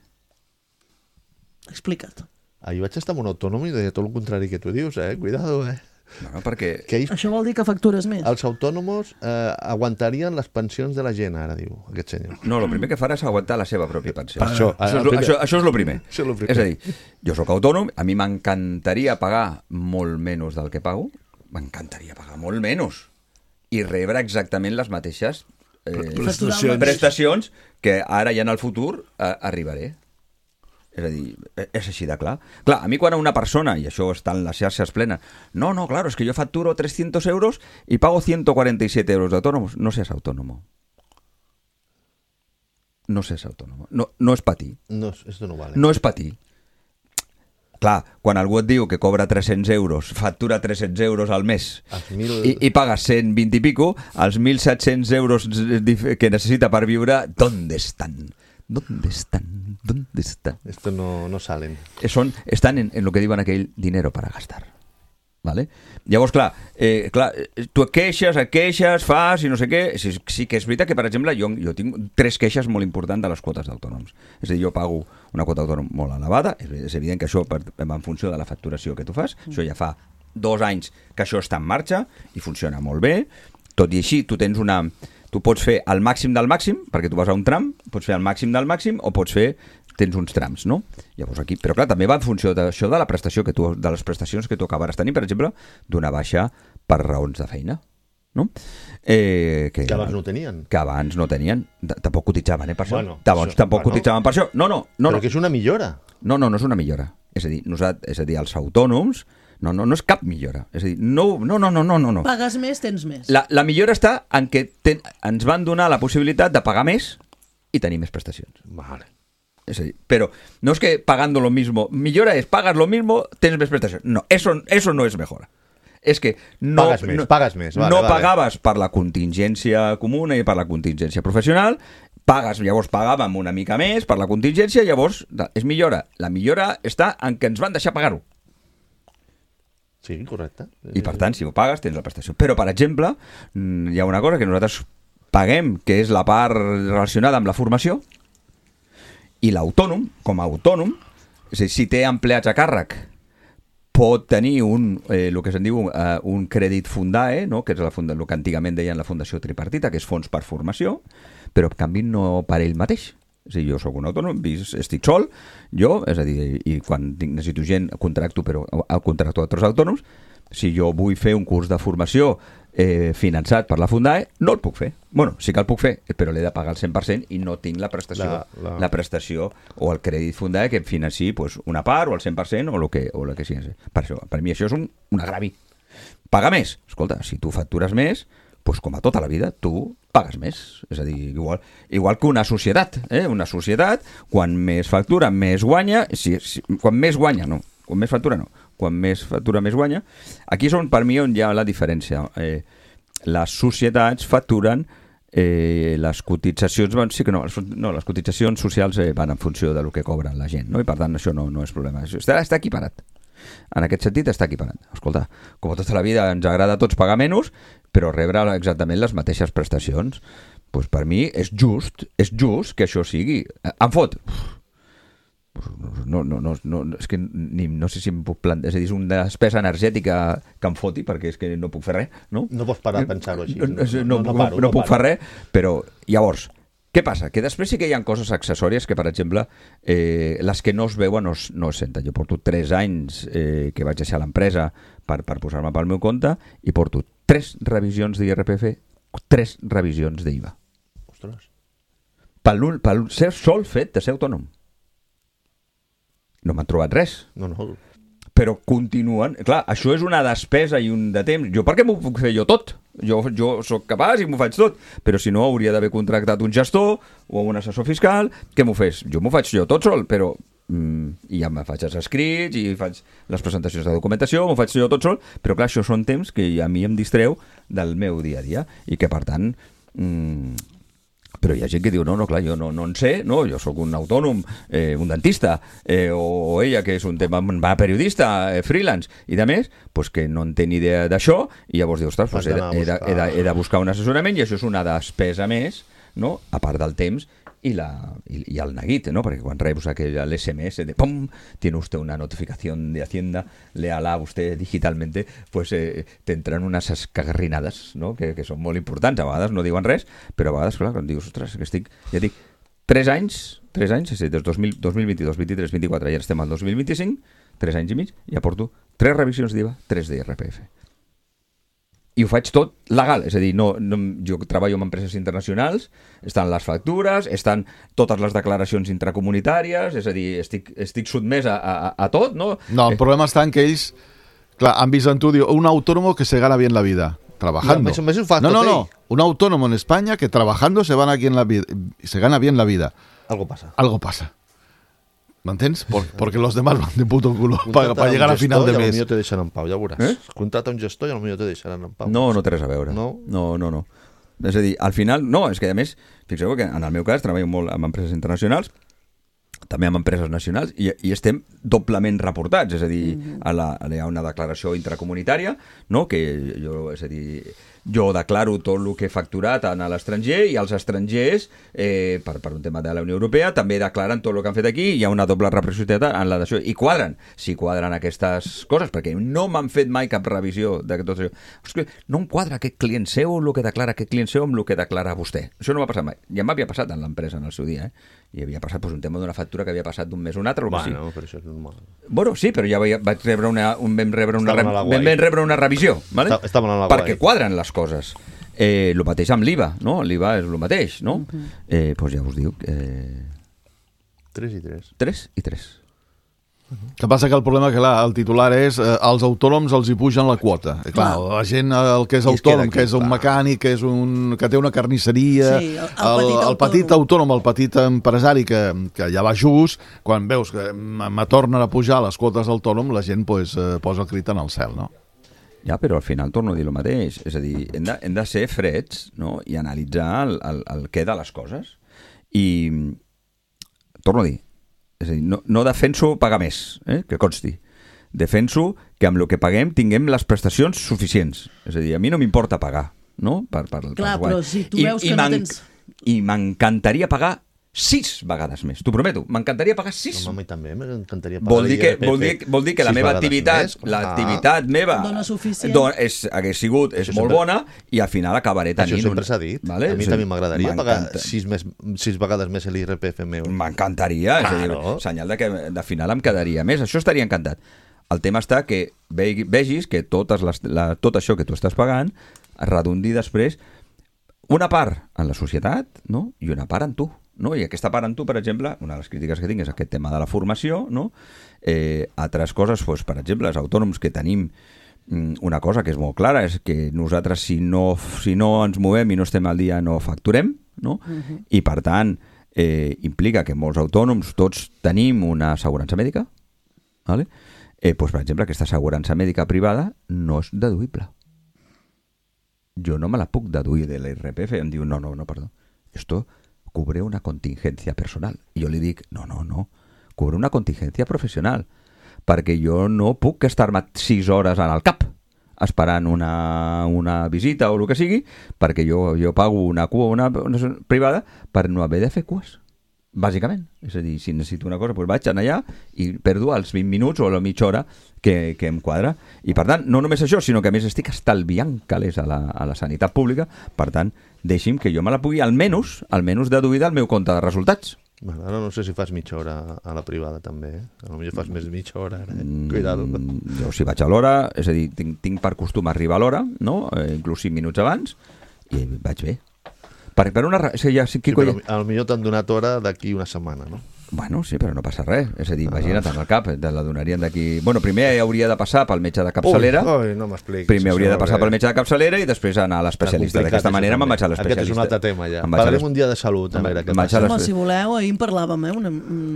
Speaker 4: Explica't.
Speaker 5: Ahir vaig estar amb un autònom i deia tot el contrari que tu dius, eh? Cuidado, eh?
Speaker 8: Bueno, perquè...
Speaker 5: Que ells,
Speaker 4: això vol dir que factures més?
Speaker 5: Els autònoms eh, aguantarien les pensions de la gent, ara diu aquest senyor.
Speaker 8: No, el primer que farà és aguantar la seva pròpia pensió.
Speaker 5: Això,
Speaker 8: això, és, primer... això, això és el primer.
Speaker 5: Això és, lo primer.
Speaker 8: És a dir, jo sóc autònom, a mi m'encantaria pagar molt menys del que pago, m'encantaria pagar molt menys i rebre exactament les mateixes eh,
Speaker 7: prestacions.
Speaker 8: prestacions que ara i en el futur eh, arribaré. És a dir, és així de clar. Clar, a mi quan una persona, i això està en les xarxes plenes, no, no, claro, es que yo facturo trescientos euros y pago ciento cuarenta y siete euros de autónomos. No seas autónomo. No seas autónomo. No, no es para ti.
Speaker 5: No, esto no vale.
Speaker 8: No es para ti. clar, quan algú et diu que cobra tres-cents euros, factura tres-cents euros al mes
Speaker 5: mil...
Speaker 8: i, i paga cent vint i pico, els mil set-cents euros que necessita per viure, ¿dónde están? ¿Dónde están? ¿Dónde están?
Speaker 5: Esto no, no salen.
Speaker 8: Son, están en, en lo que diuen aquell dinero para gastar. Vale? Llavors, clar, eh, clar, tu et queixes, et queixes, fas i no sé què. Sí, sí que és veritat que, per exemple, jo, jo tinc tres queixes molt importants de les quotes d'autònoms. És a dir, jo pago una quota d'autònom molt elevada, és, és evident que això per, en funció de la facturació que tu fas, mm. això ja fa dos anys que això està en marxa i funciona molt bé. Tot i així, tu tens una... Tu pots fer el màxim del màxim, perquè tu vas a un tram, pots fer el màxim del màxim o pots fer... tens uns trams, no? Llavors aquí, però clar, també va en funció d'això de la prestació que tu, de les prestacions que tu acabaràs tenint, per exemple, d'una baixa per raons de feina, no? Eh, que,
Speaker 5: que abans no tenien.
Speaker 8: Que abans no tenien. Tampoc cotitzaven, eh, per això.
Speaker 5: Bueno,
Speaker 8: Tampoc,
Speaker 5: això,
Speaker 8: tampoc
Speaker 5: bueno.
Speaker 8: cotitzaven per això. No, no, no.
Speaker 5: Però
Speaker 8: no.
Speaker 5: que és una millora.
Speaker 8: No, no, no és una millora. És a dir, nosaltres, és a dir, els autònoms, no, no, no és cap millora. És a dir, no, no, no, no, no, no.
Speaker 4: Pagues més, tens més.
Speaker 8: La, la millora està en que ten, ens van donar la possibilitat de pagar més i tenir més prestacions.
Speaker 5: Vale.
Speaker 8: Es decir, pero no es que pagando lo mismo, millora es pagas lo mismo, tienes más prestación. No, eso, eso no es mejora. Es que no,
Speaker 5: pagas més,
Speaker 8: no,
Speaker 5: pagas més. Vale,
Speaker 8: no
Speaker 5: vale.
Speaker 8: pagaves per la contingència comuna i per la contingència professional, pagues, llavors pagàvem una mica més per la contingència, llavors és millora. La millora està en que ens van deixar pagar-ho.
Speaker 5: Sí, correcte.
Speaker 8: I per tant, si ho pagues, tens la prestació. Però, per exemple, hi ha una cosa que nosaltres paguem, que és la part relacionada amb la formació, i l'autònom, com a autònom, és a dir, si té empleats a càrrec, pot tenir un, eh, el que se'n diu eh, un crèdit Fundae, no? Que és la funda, el que antigament deien la Fundació Tripartita, que és fons per formació, però en canvi no per ell mateix. És a dir, jo sóc un autònom, estic sol, jo, és a dir, i quan tinc, necessito gent, contracto, però contracto altres autònoms, si jo vull fer un curs de formació eh, finançat per la Fundae, no el puc fer. Bueno, sí que el puc fer, però l'he de pagar al cent per cent i no tinc la prestació, la, la... la prestació o el crèdit Fundae que em financi pues, una part o el cent per cent o el que, o el que sigui. Per, això, per mi això és un, un agravi. Pagar més. Escolta, si tu factures més, pues, com a tota la vida, tu pagues més. És a dir, igual, igual que una societat. Eh? Una societat, quan més factura, més guanya. Si, si, quan més guanya, no. Quan més factura, no. Quan més factura, més guanya. Aquí és on, per mi, on hi ha la diferència. Eh, les societats facturen eh, les cotitzacions... Van, sí que no, les, no, les cotitzacions socials eh, van en funció del que cobren la gent, no? I per tant això no, no és problema. Està, està equiparat. En aquest sentit està equiparat. Escolta, com a tota la vida ens agrada a tots pagar menys, però rebre exactament les mateixes prestacions. Pues per mi és just, és just que això sigui. Em fot... No, no, no, no, és que ni, no sé si em puc plantar, és a dir, és una despesa energètica que em foti perquè és que no puc fer res, no?
Speaker 5: No pots parar a pensar-ho així.
Speaker 8: No, no, no, no, no, paro, no, no puc fer res, però llavors, què passa? Que després sí que hi ha coses accessòries que, per exemple, eh, les que no es veuen no es, no es senten. Jo porto tres anys eh, que vaig deixar l'empresa per, per posar-me pel meu compte i porto tres revisions d'I R P F, tres revisions d'I V A.
Speaker 5: Ostres.
Speaker 8: Pel, pel ser sol fet de ser autònom. No m'han trobat res.
Speaker 5: No, no.
Speaker 8: Però continuen... Clar, això és una despesa i un de temps. Jo per què m'ho puc fer jo tot? Jo, jo sóc capaç i m'ho faig tot. Però si no, hauria d'haver contractat un gestor o un assessor fiscal que m'ho fes. Jo m'ho faig jo tot sol, però... Mm, i ja me faig els escrits i faig les presentacions de documentació, m'ho faig jo tot sol, però clar, això són temps que a mi em distreu del meu dia a dia i que, per tant... Mm, però hi ha gent que diu, no, no, clar, jo no, no en sé, no, jo sóc un autònom, eh, un dentista, eh, o, o ella que és un tema, va periodista, eh, freelance, i de més, pues que no en té ni idea d'això, i llavors dius, ostres, pues he, de, he, de, he, de, he de buscar un assessorament, i això és una despesa més, no?, a part del temps, y, la, y, y el neguit, ¿no? Porque cuando rebus aquel el S M S de ¡pum! Tiene usted una notificación de Hacienda, léala usted digitalmente, pues eh, te entran unes escagarrinades, ¿no? Que, que són molt importants. A vegades no diuen res, però a vegades, clar, quan dius, ostres, que estic, ja dic, tres anys, tres anys, és a dir, des dos mil, dos mil vint-i-dos, vint-i-tres, vint-i-quatre, ja estem al dos mil vint-i-cinc, tres anys i mig, i aporto tres revisions d'I V A, tres d'I R P F. I ho faig tot legal, és a dir, no, no, jo treballo en empreses internacionals, estan les factures, estan totes les declaracions intracomunitàries, és a dir, estic, estic sotmès a, a, a tot, no?
Speaker 6: No, el problema està en que ells, clar, han vist en tu, diu, un autónomo que se gana bien la vida, trabajando.
Speaker 5: No, eso, eso
Speaker 6: no, no, no, un autónomo en España que trabajando se, van aquí en la vida, se gana bien la vida.
Speaker 5: Algo pasa.
Speaker 6: Algo pasa. ¿M'entens? Porque los demás van de puto culo para pa llegar a final de mes.
Speaker 5: I potser te deixaran en pau, ja veuràs. Eh? Contrata un gestor i potser te deixaran en pau.
Speaker 8: No, no té res a veure.
Speaker 5: No?
Speaker 8: No, no, no. És a dir, al final, no, és que a més, fixeu que en el meu cas treballo molt amb empreses internacionals, també amb empreses nacionals, i, i estem doblement reportats, és a dir, mm-hmm. a la, hi ha una declaració intracomunitària, no?, que jo, és a dir, jo declaro tot el que he facturat a l'estranger, i els estrangers, eh, per, per un tema de la Unió Europea, també declaren tot el que han fet aquí, hi ha una doble reciprocitat en la d'això, i quadren, si quadren aquestes coses, perquè no m'han fet mai cap revisió de tot això. Ostres, no em quadra aquest client seu, el que declara aquest client seu amb el que declara vostè. Això no m'ha passat mai. Ja m'havia passat en l'empresa en el seu dia, eh? I havia passat pues, un tema d'una factura que havia passat d'un mes a un altre, o
Speaker 5: bueno,
Speaker 8: sí.
Speaker 5: però això és normal.
Speaker 8: Bueno, sí, però ja vaig rebre una, un, vam, rebre una, re, vam rebre una revisió, ¿vale?
Speaker 5: Estaven a la
Speaker 8: perquè quadren les coses. Eh, el mateix amb l'I V A, no? L'I V A és el mateix, no? Uh-huh. Eh, doncs ja us dic... Eh...
Speaker 5: tres i tres.
Speaker 8: tres i tres.
Speaker 6: Uh-huh. Que passa que el problema que clar, el titular és eh, els autònoms els hi pugen la quota. I, clar, clar, la gent, el que és autònom, que és un mecànic, que, és un, que té una carnisseria, sí, el, el, el, el petit autònom, el petit empresari que, que ja va just, quan veus que me tornen a pujar les quotes d'autònom, la gent pues, eh, posa el crit en el cel, no?
Speaker 8: Ja, però al final torno a dir el mateix. És a dir, hem de, hem de ser freds, no?, i analitzar el, el, el què de les coses. I torno a dir, és a dir, no, no defenso pagar més, eh, que consti. Defenso que amb el que paguem tinguem les prestacions suficients. És a dir, a mi no m'importa pagar, no? Per, per,
Speaker 4: Clar, però si tu veus I, que i no tens...
Speaker 8: I m'encantaria pagar sis vegades més, t'ho prometo, m'encantaria pagar sis.
Speaker 5: No, a mi també m'encantaria pagar
Speaker 8: vol dir que, vol dir, vol dir que la meva activitat, l'activitat ah. meva
Speaker 4: dona suficient.
Speaker 8: Don, és, hagués sigut, és molt bona, i al final acabaré tenint...
Speaker 5: Això sempre s'ha dit. Vale? A mi també m'agradaria pagar sis, més, sis vegades més l'I R P F meu.
Speaker 8: M'encantaria, és a dir, senyal de que de final em quedaria més. Això estaria encantat. El tema està que vegis que totes les, la, tot això que tu estàs pagant redundi després una part en la societat, no?, i una part en tu. No? I aquesta part en tu, per exemple, una de les crítiques que tinc és aquest tema de la formació, no? Eh, altres coses, doncs, per exemple, els autònoms que tenim una cosa que és molt clara, és que nosaltres si no, si no ens movem i no estem al dia no facturem, no? Uh-huh. I per tant eh, implica que molts autònoms tots tenim una assegurança mèdica, ¿vale? eh, doncs, per exemple, aquesta assegurança mèdica privada no és deduïble. Jo no me la puc deduir de l'I R P F. Em diu, no, no, no, perdó, esto cubre una contingencia personal. I jo li dic, no, no, no, cubre una contingencia professional, perquè jo no puc estar-me sis hores en el cap esperant una, una visita o el que sigui, perquè jo, jo pago una cua una, una privada per no haver de fer cues, bàsicament. És a dir, si necessito una cosa, doncs vaig anar allà i perdo els vint minuts o la mitja hora que, que em quadra. I per tant, no només això, sinó que a més estic estalviant calés a la, a la sanitat pública. Per tant, deixi'm que jo me la pugui almenys, almenys deduir del meu compte de resultats.
Speaker 5: Bueno, ara no sé si fas mitja hora a la privada també, eh? Potser fas més mitja hora ara, eh? Cuidado.
Speaker 8: Mm, jo si vaig a l'hora, és a dir, tinc, tinc per costum arribar a l'hora, no? Eh, inclús cinc minuts abans, i vaig bé. Per, per una... O sigui, ja, sí,
Speaker 5: sí, però potser t'han donat hora d'aquí una setmana, no?
Speaker 8: Bueno, sí, però no passa res. És a dir, imagina't en el cap, te la donarien d'aquí... Bueno, primer hauria de passar pel metge de capçalera.
Speaker 5: Ui, ui, no m'expliquis.
Speaker 8: Primer hauria de passar pel metge de capçalera i després anar a l'especialista. D'aquesta manera me'n vaig a l'especialista.
Speaker 5: Aquest és un altre tema, ja. Parlem un dia de salut, a veure què passa.
Speaker 4: Home, si voleu, ahir en parlàvem, eh?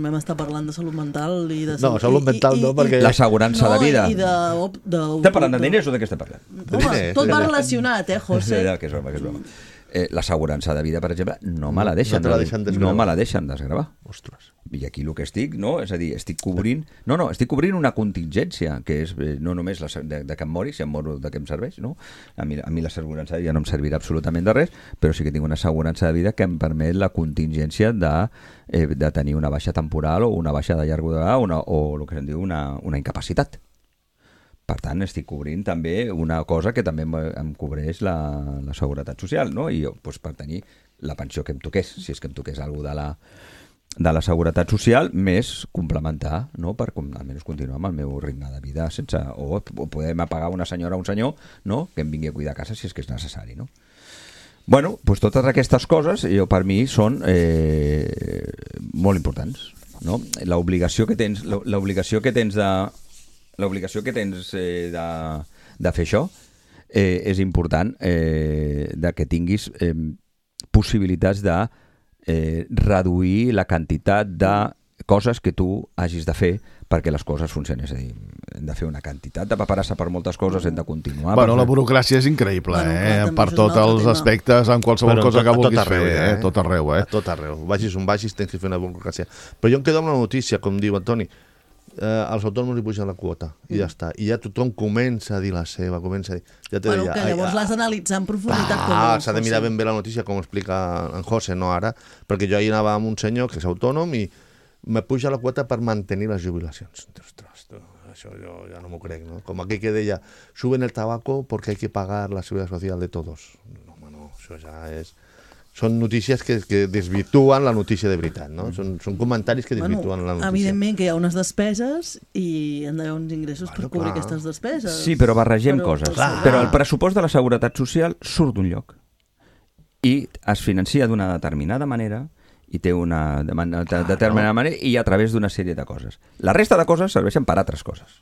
Speaker 4: Vam estar parlant de salut mental i de...
Speaker 5: No, salut mental no, perquè...
Speaker 8: L'assegurança de vida.
Speaker 4: No, i de...
Speaker 8: Estem parlant de diners o de què estem parlant?
Speaker 4: Home, tot va relacionat, eh, José?
Speaker 8: Que és broma, que és broma. Eh, l'assegurança de vida, per exemple, no me la deixen,
Speaker 5: no, deixen
Speaker 8: no me la deixen desgravar.
Speaker 5: Ostres.
Speaker 8: I aquí el que estic, no? És a dir, estic cobrint... No, no, estic cobrint una contingència, que és eh, no només la, de, de que em mori, si em moro de què em serveix, no? A mi, a mi l'assegurança de vida no em servirà absolutament de res, però sí que tinc una assegurança de vida que em permet la contingència de, eh, de tenir una baixa temporal o una baixa de llarga durada una, o el que se'n diu una, una incapacitat. Per tant, estic cobrint també una cosa que també em cobreix la, la seguretat social, no? I jo, doncs, per tenir la pensió que em toqués, si és que em toqués alguna de la, de la seguretat social, més complementar, no? Per almenys continuar amb el meu ritme de vida sense... O, o podem pagar una senyora o un senyor, no?, que em vingui a cuidar a casa si és que és necessari, no? Bueno, doncs totes aquestes coses, jo, per mi, són eh, molt importants, no? L'obligació que tens, l'obligació que tens de... L'obligació que tens eh, de, de fer això eh, és important eh, de que tinguis eh, possibilitats de eh, reduir la quantitat de coses que tu hagis de fer perquè les coses funcionin. És a dir, hem de fer una quantitat de paperassa per moltes coses, hem de continuar...
Speaker 6: Bueno,
Speaker 8: per...
Speaker 6: la burocràcia és increïble, bueno, eh? Clar, per tots els tema. aspectes, en qualsevol Però cosa tot, que vulguis arreu, fer, eh? Tot arreu, eh?
Speaker 5: A tot arreu. Vagis on vagis, tens que fer una burocràcia. Però jo em quedo amb la notícia, com diu Antoni, eh, als autònoms li pugen la quota, i ja està. I ja tothom comença a dir la seva, comença a dir... Ja te
Speaker 4: bueno,
Speaker 5: deia,
Speaker 4: que llavors l'has d'analitzar en profunditat.
Speaker 5: Ah, s'ha de mirar ben bé la notícia, com explica en José, no ara, perquè jo ahir anava amb un senyor que és autònom i me puja la quota per mantenir les jubilacions. Ostres, tu, això jo ja no m'ho crec, no? Com aquell que deia, suben el tabaco porque hay que pagar la seguridad social de todos. No, home, no, això ja és... Són notícies que, que desvirtuen la notícia de veritat, no? Són, són comentaris que desvirtuen bueno, la notícia.
Speaker 4: Evidentment que hi ha unes despeses i han d'haver uns ingressos bueno, per cobrir clar. aquestes despeses.
Speaker 8: Sí, però barregem però, coses. Clar. Però el pressupost de la Seguretat Social surt d'un lloc i es financia d'una determinada manera i té una determinada manera i a través d'una sèrie de coses. La resta de coses serveixen per altres coses.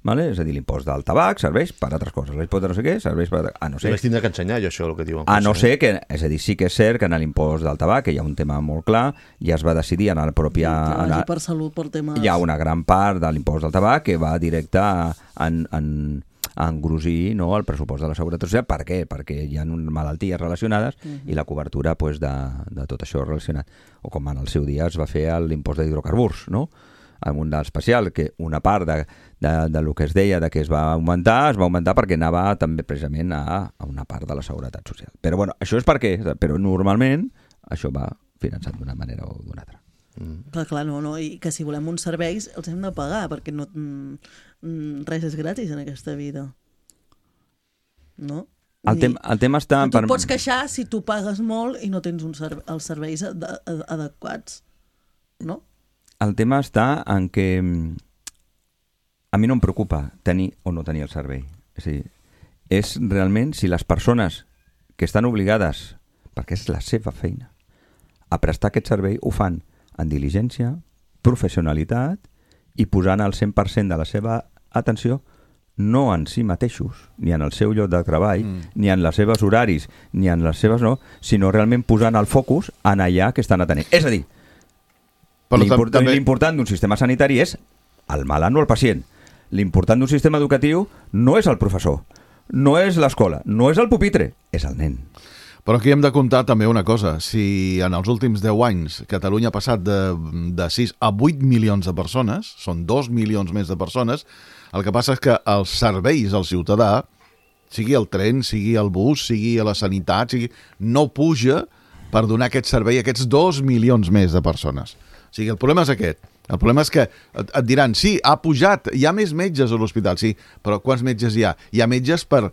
Speaker 8: Vale? És a dir, l'impost del tabac serveix per altres coses. L'impost de no sé què serveix per... Ah, no sé.
Speaker 5: Vaig tindre que ensenyar jo això, el que diuen.
Speaker 8: A no ser que... És a dir, sí que és cert que en l'impost del tabac, que hi ha un tema molt clar, ja es va decidir en la pròpia...
Speaker 4: Que vagi per salut, per temes...
Speaker 8: Hi ha una gran part de l'impost del tabac que va directe en... en a engrosir, no, el pressupost de la Seguretat Social. Per què? Perquè hi ha malalties relacionades uh-huh. i la cobertura pues, de, de tot això relacionat. O com en el seu dia es va fer l'impost d'hidrocarburs, no? En un especial, que una part de, de, de lo que es deia de que es va augmentar, es va augmentar perquè anava també precisament a, a una part de la Seguretat Social. Però bueno, això és perquè, però normalment això va finançat d'una manera o d'una altra.
Speaker 4: Mm. Clar, clar, no, no, i que si volem uns serveis els hem de pagar, perquè no, mm, res és gratis en aquesta vida. No?
Speaker 8: El, tem el tema està...
Speaker 4: Tu per... pots queixar si tu pagues molt i no tens un serve els serveis ad ad adequats, no?
Speaker 8: El tema està en que a mi no em preocupa tenir o no tenir el servei. És a dir, és realment si les persones que estan obligades, perquè és la seva feina, a prestar aquest servei, ho fan en diligència, professionalitat i posant el cent per cent de la seva atenció no en si mateixos, ni en el seu lloc de treball, mm. ni en les seves horaris, ni en les seves no, sinó realment posant el focus en allà que estan atenent. És a dir, l'important també... d'un sistema sanitari és el malalt, no el pacient. L'important d'un sistema educatiu no és el professor, no és l'escola, no és el pupitre, és el nen.
Speaker 6: Però aquí hem de comptar també una cosa. Si en els últims deu anys Catalunya ha passat de, de sis a vuit milions de persones, són dos milions més de persones, el que passa és que els serveis al ciutadà, sigui el tren, sigui el bus, sigui a la sanitat, sigui, no puja per donar aquest servei a aquests dos milions més de persones. O sigui, el problema és aquest. El problema és que et, et diran, sí, ha pujat, hi ha més metges a l'hospital, sí, però quants metges hi ha? Hi ha metges per...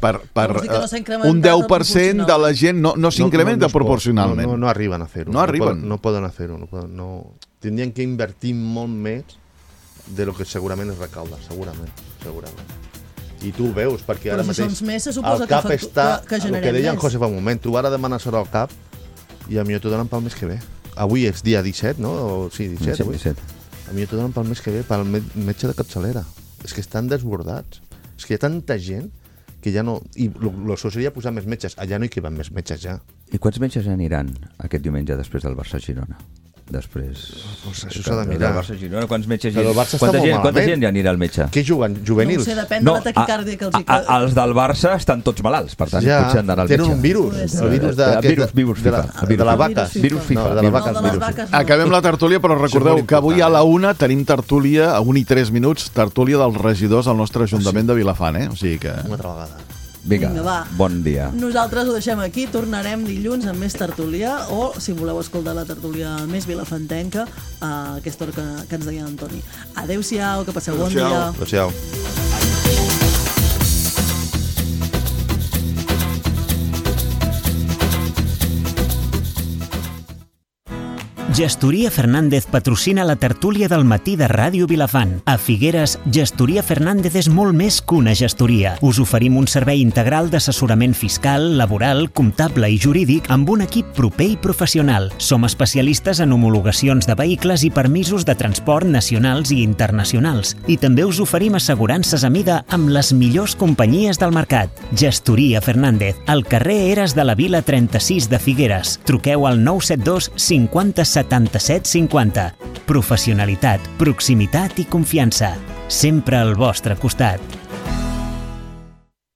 Speaker 6: per, per no un deu per cent de la gent no, no s'incrementa no, no, no proporcionalment.
Speaker 5: No, no, no arriben a fer-ho.
Speaker 6: No, no arriben.
Speaker 5: Poden, no poden fer-ho. No poden, no... Tindrien que invertir molt més de lo que segurament es recauda, segurament. segurament. I tu ho veus, perquè
Speaker 4: però
Speaker 5: ara
Speaker 4: si
Speaker 5: mateix
Speaker 4: més,
Speaker 5: el CAP
Speaker 4: que,
Speaker 5: està...
Speaker 4: que, que
Speaker 5: el que deia en José fa un moment, tu ara demanes hora al CAP i a mi t'ho donen pel mes que ve. Avui és dia disset, no? O, sí, disset.
Speaker 8: Sí, disset.
Speaker 5: A mi t'ho donen pel mes que ve, pel metge de capçalera. És que estan desbordats. És que hi ha tanta gent que ja no... I el so seria posar més metges. Allà no hi queben més metges, ja.
Speaker 8: I quants metges aniran aquest diumenge després del Barça-Girona? Després...
Speaker 5: Pues això s'ha de mirar.
Speaker 8: Barça-Girona, quants metges hi
Speaker 5: ha?
Speaker 8: Quanta gent, quanta gent hi anirà al metge?
Speaker 5: Què juguen? Juvenils?
Speaker 4: No ho sé, depèn no, de la taquicàrdia que els hi...
Speaker 8: A, a, els del Barça estan tots malalts, per tant,
Speaker 5: ja,
Speaker 8: potser han d'anar al metge.
Speaker 5: Tenen un virus. El virus de...
Speaker 8: Virus, virus FIFA.
Speaker 5: De, de la vaca.
Speaker 8: Virus FIFA.
Speaker 5: No, de les vaques.
Speaker 4: No, de les vaques no.
Speaker 6: Acabem la tertúlia, però recordeu que avui a la una tenim tertúlia, a un i tres minuts, tertúlia dels regidors al nostre Ajuntament de Vilafant, eh? O sigui que...
Speaker 5: Una altra vegada.
Speaker 8: Vinga,
Speaker 4: Vinga, va.
Speaker 8: Bon dia.
Speaker 4: Nosaltres ho deixem aquí, tornarem dilluns amb més tertúlia o, si voleu escoltar la tertúlia més vilafantenca, a aquesta hora que, que ens deia Antoni. Adéu-siau, que passeu bon dia.
Speaker 5: Adéu-siau.
Speaker 3: Gestoria Fernández patrocina la tertúlia del matí de Ràdio Vilafant. A Figueres, Gestoria Fernández és molt més que una gestoria. Us oferim un servei integral d'assessorament fiscal, laboral, comptable i jurídic amb un equip proper i professional. Som especialistes en homologacions de vehicles i permisos de transport nacionals i internacionals. I també us oferim assegurances a mida amb les millors companyies del mercat. Gestoria Fernández, al carrer Eres de la Vila trenta-sis de Figueres. Truqueu al nou set dos cinquanta setanta setanta-set cinquanta. Professionalitat, proximitat i confiança. Sempre al vostre costat.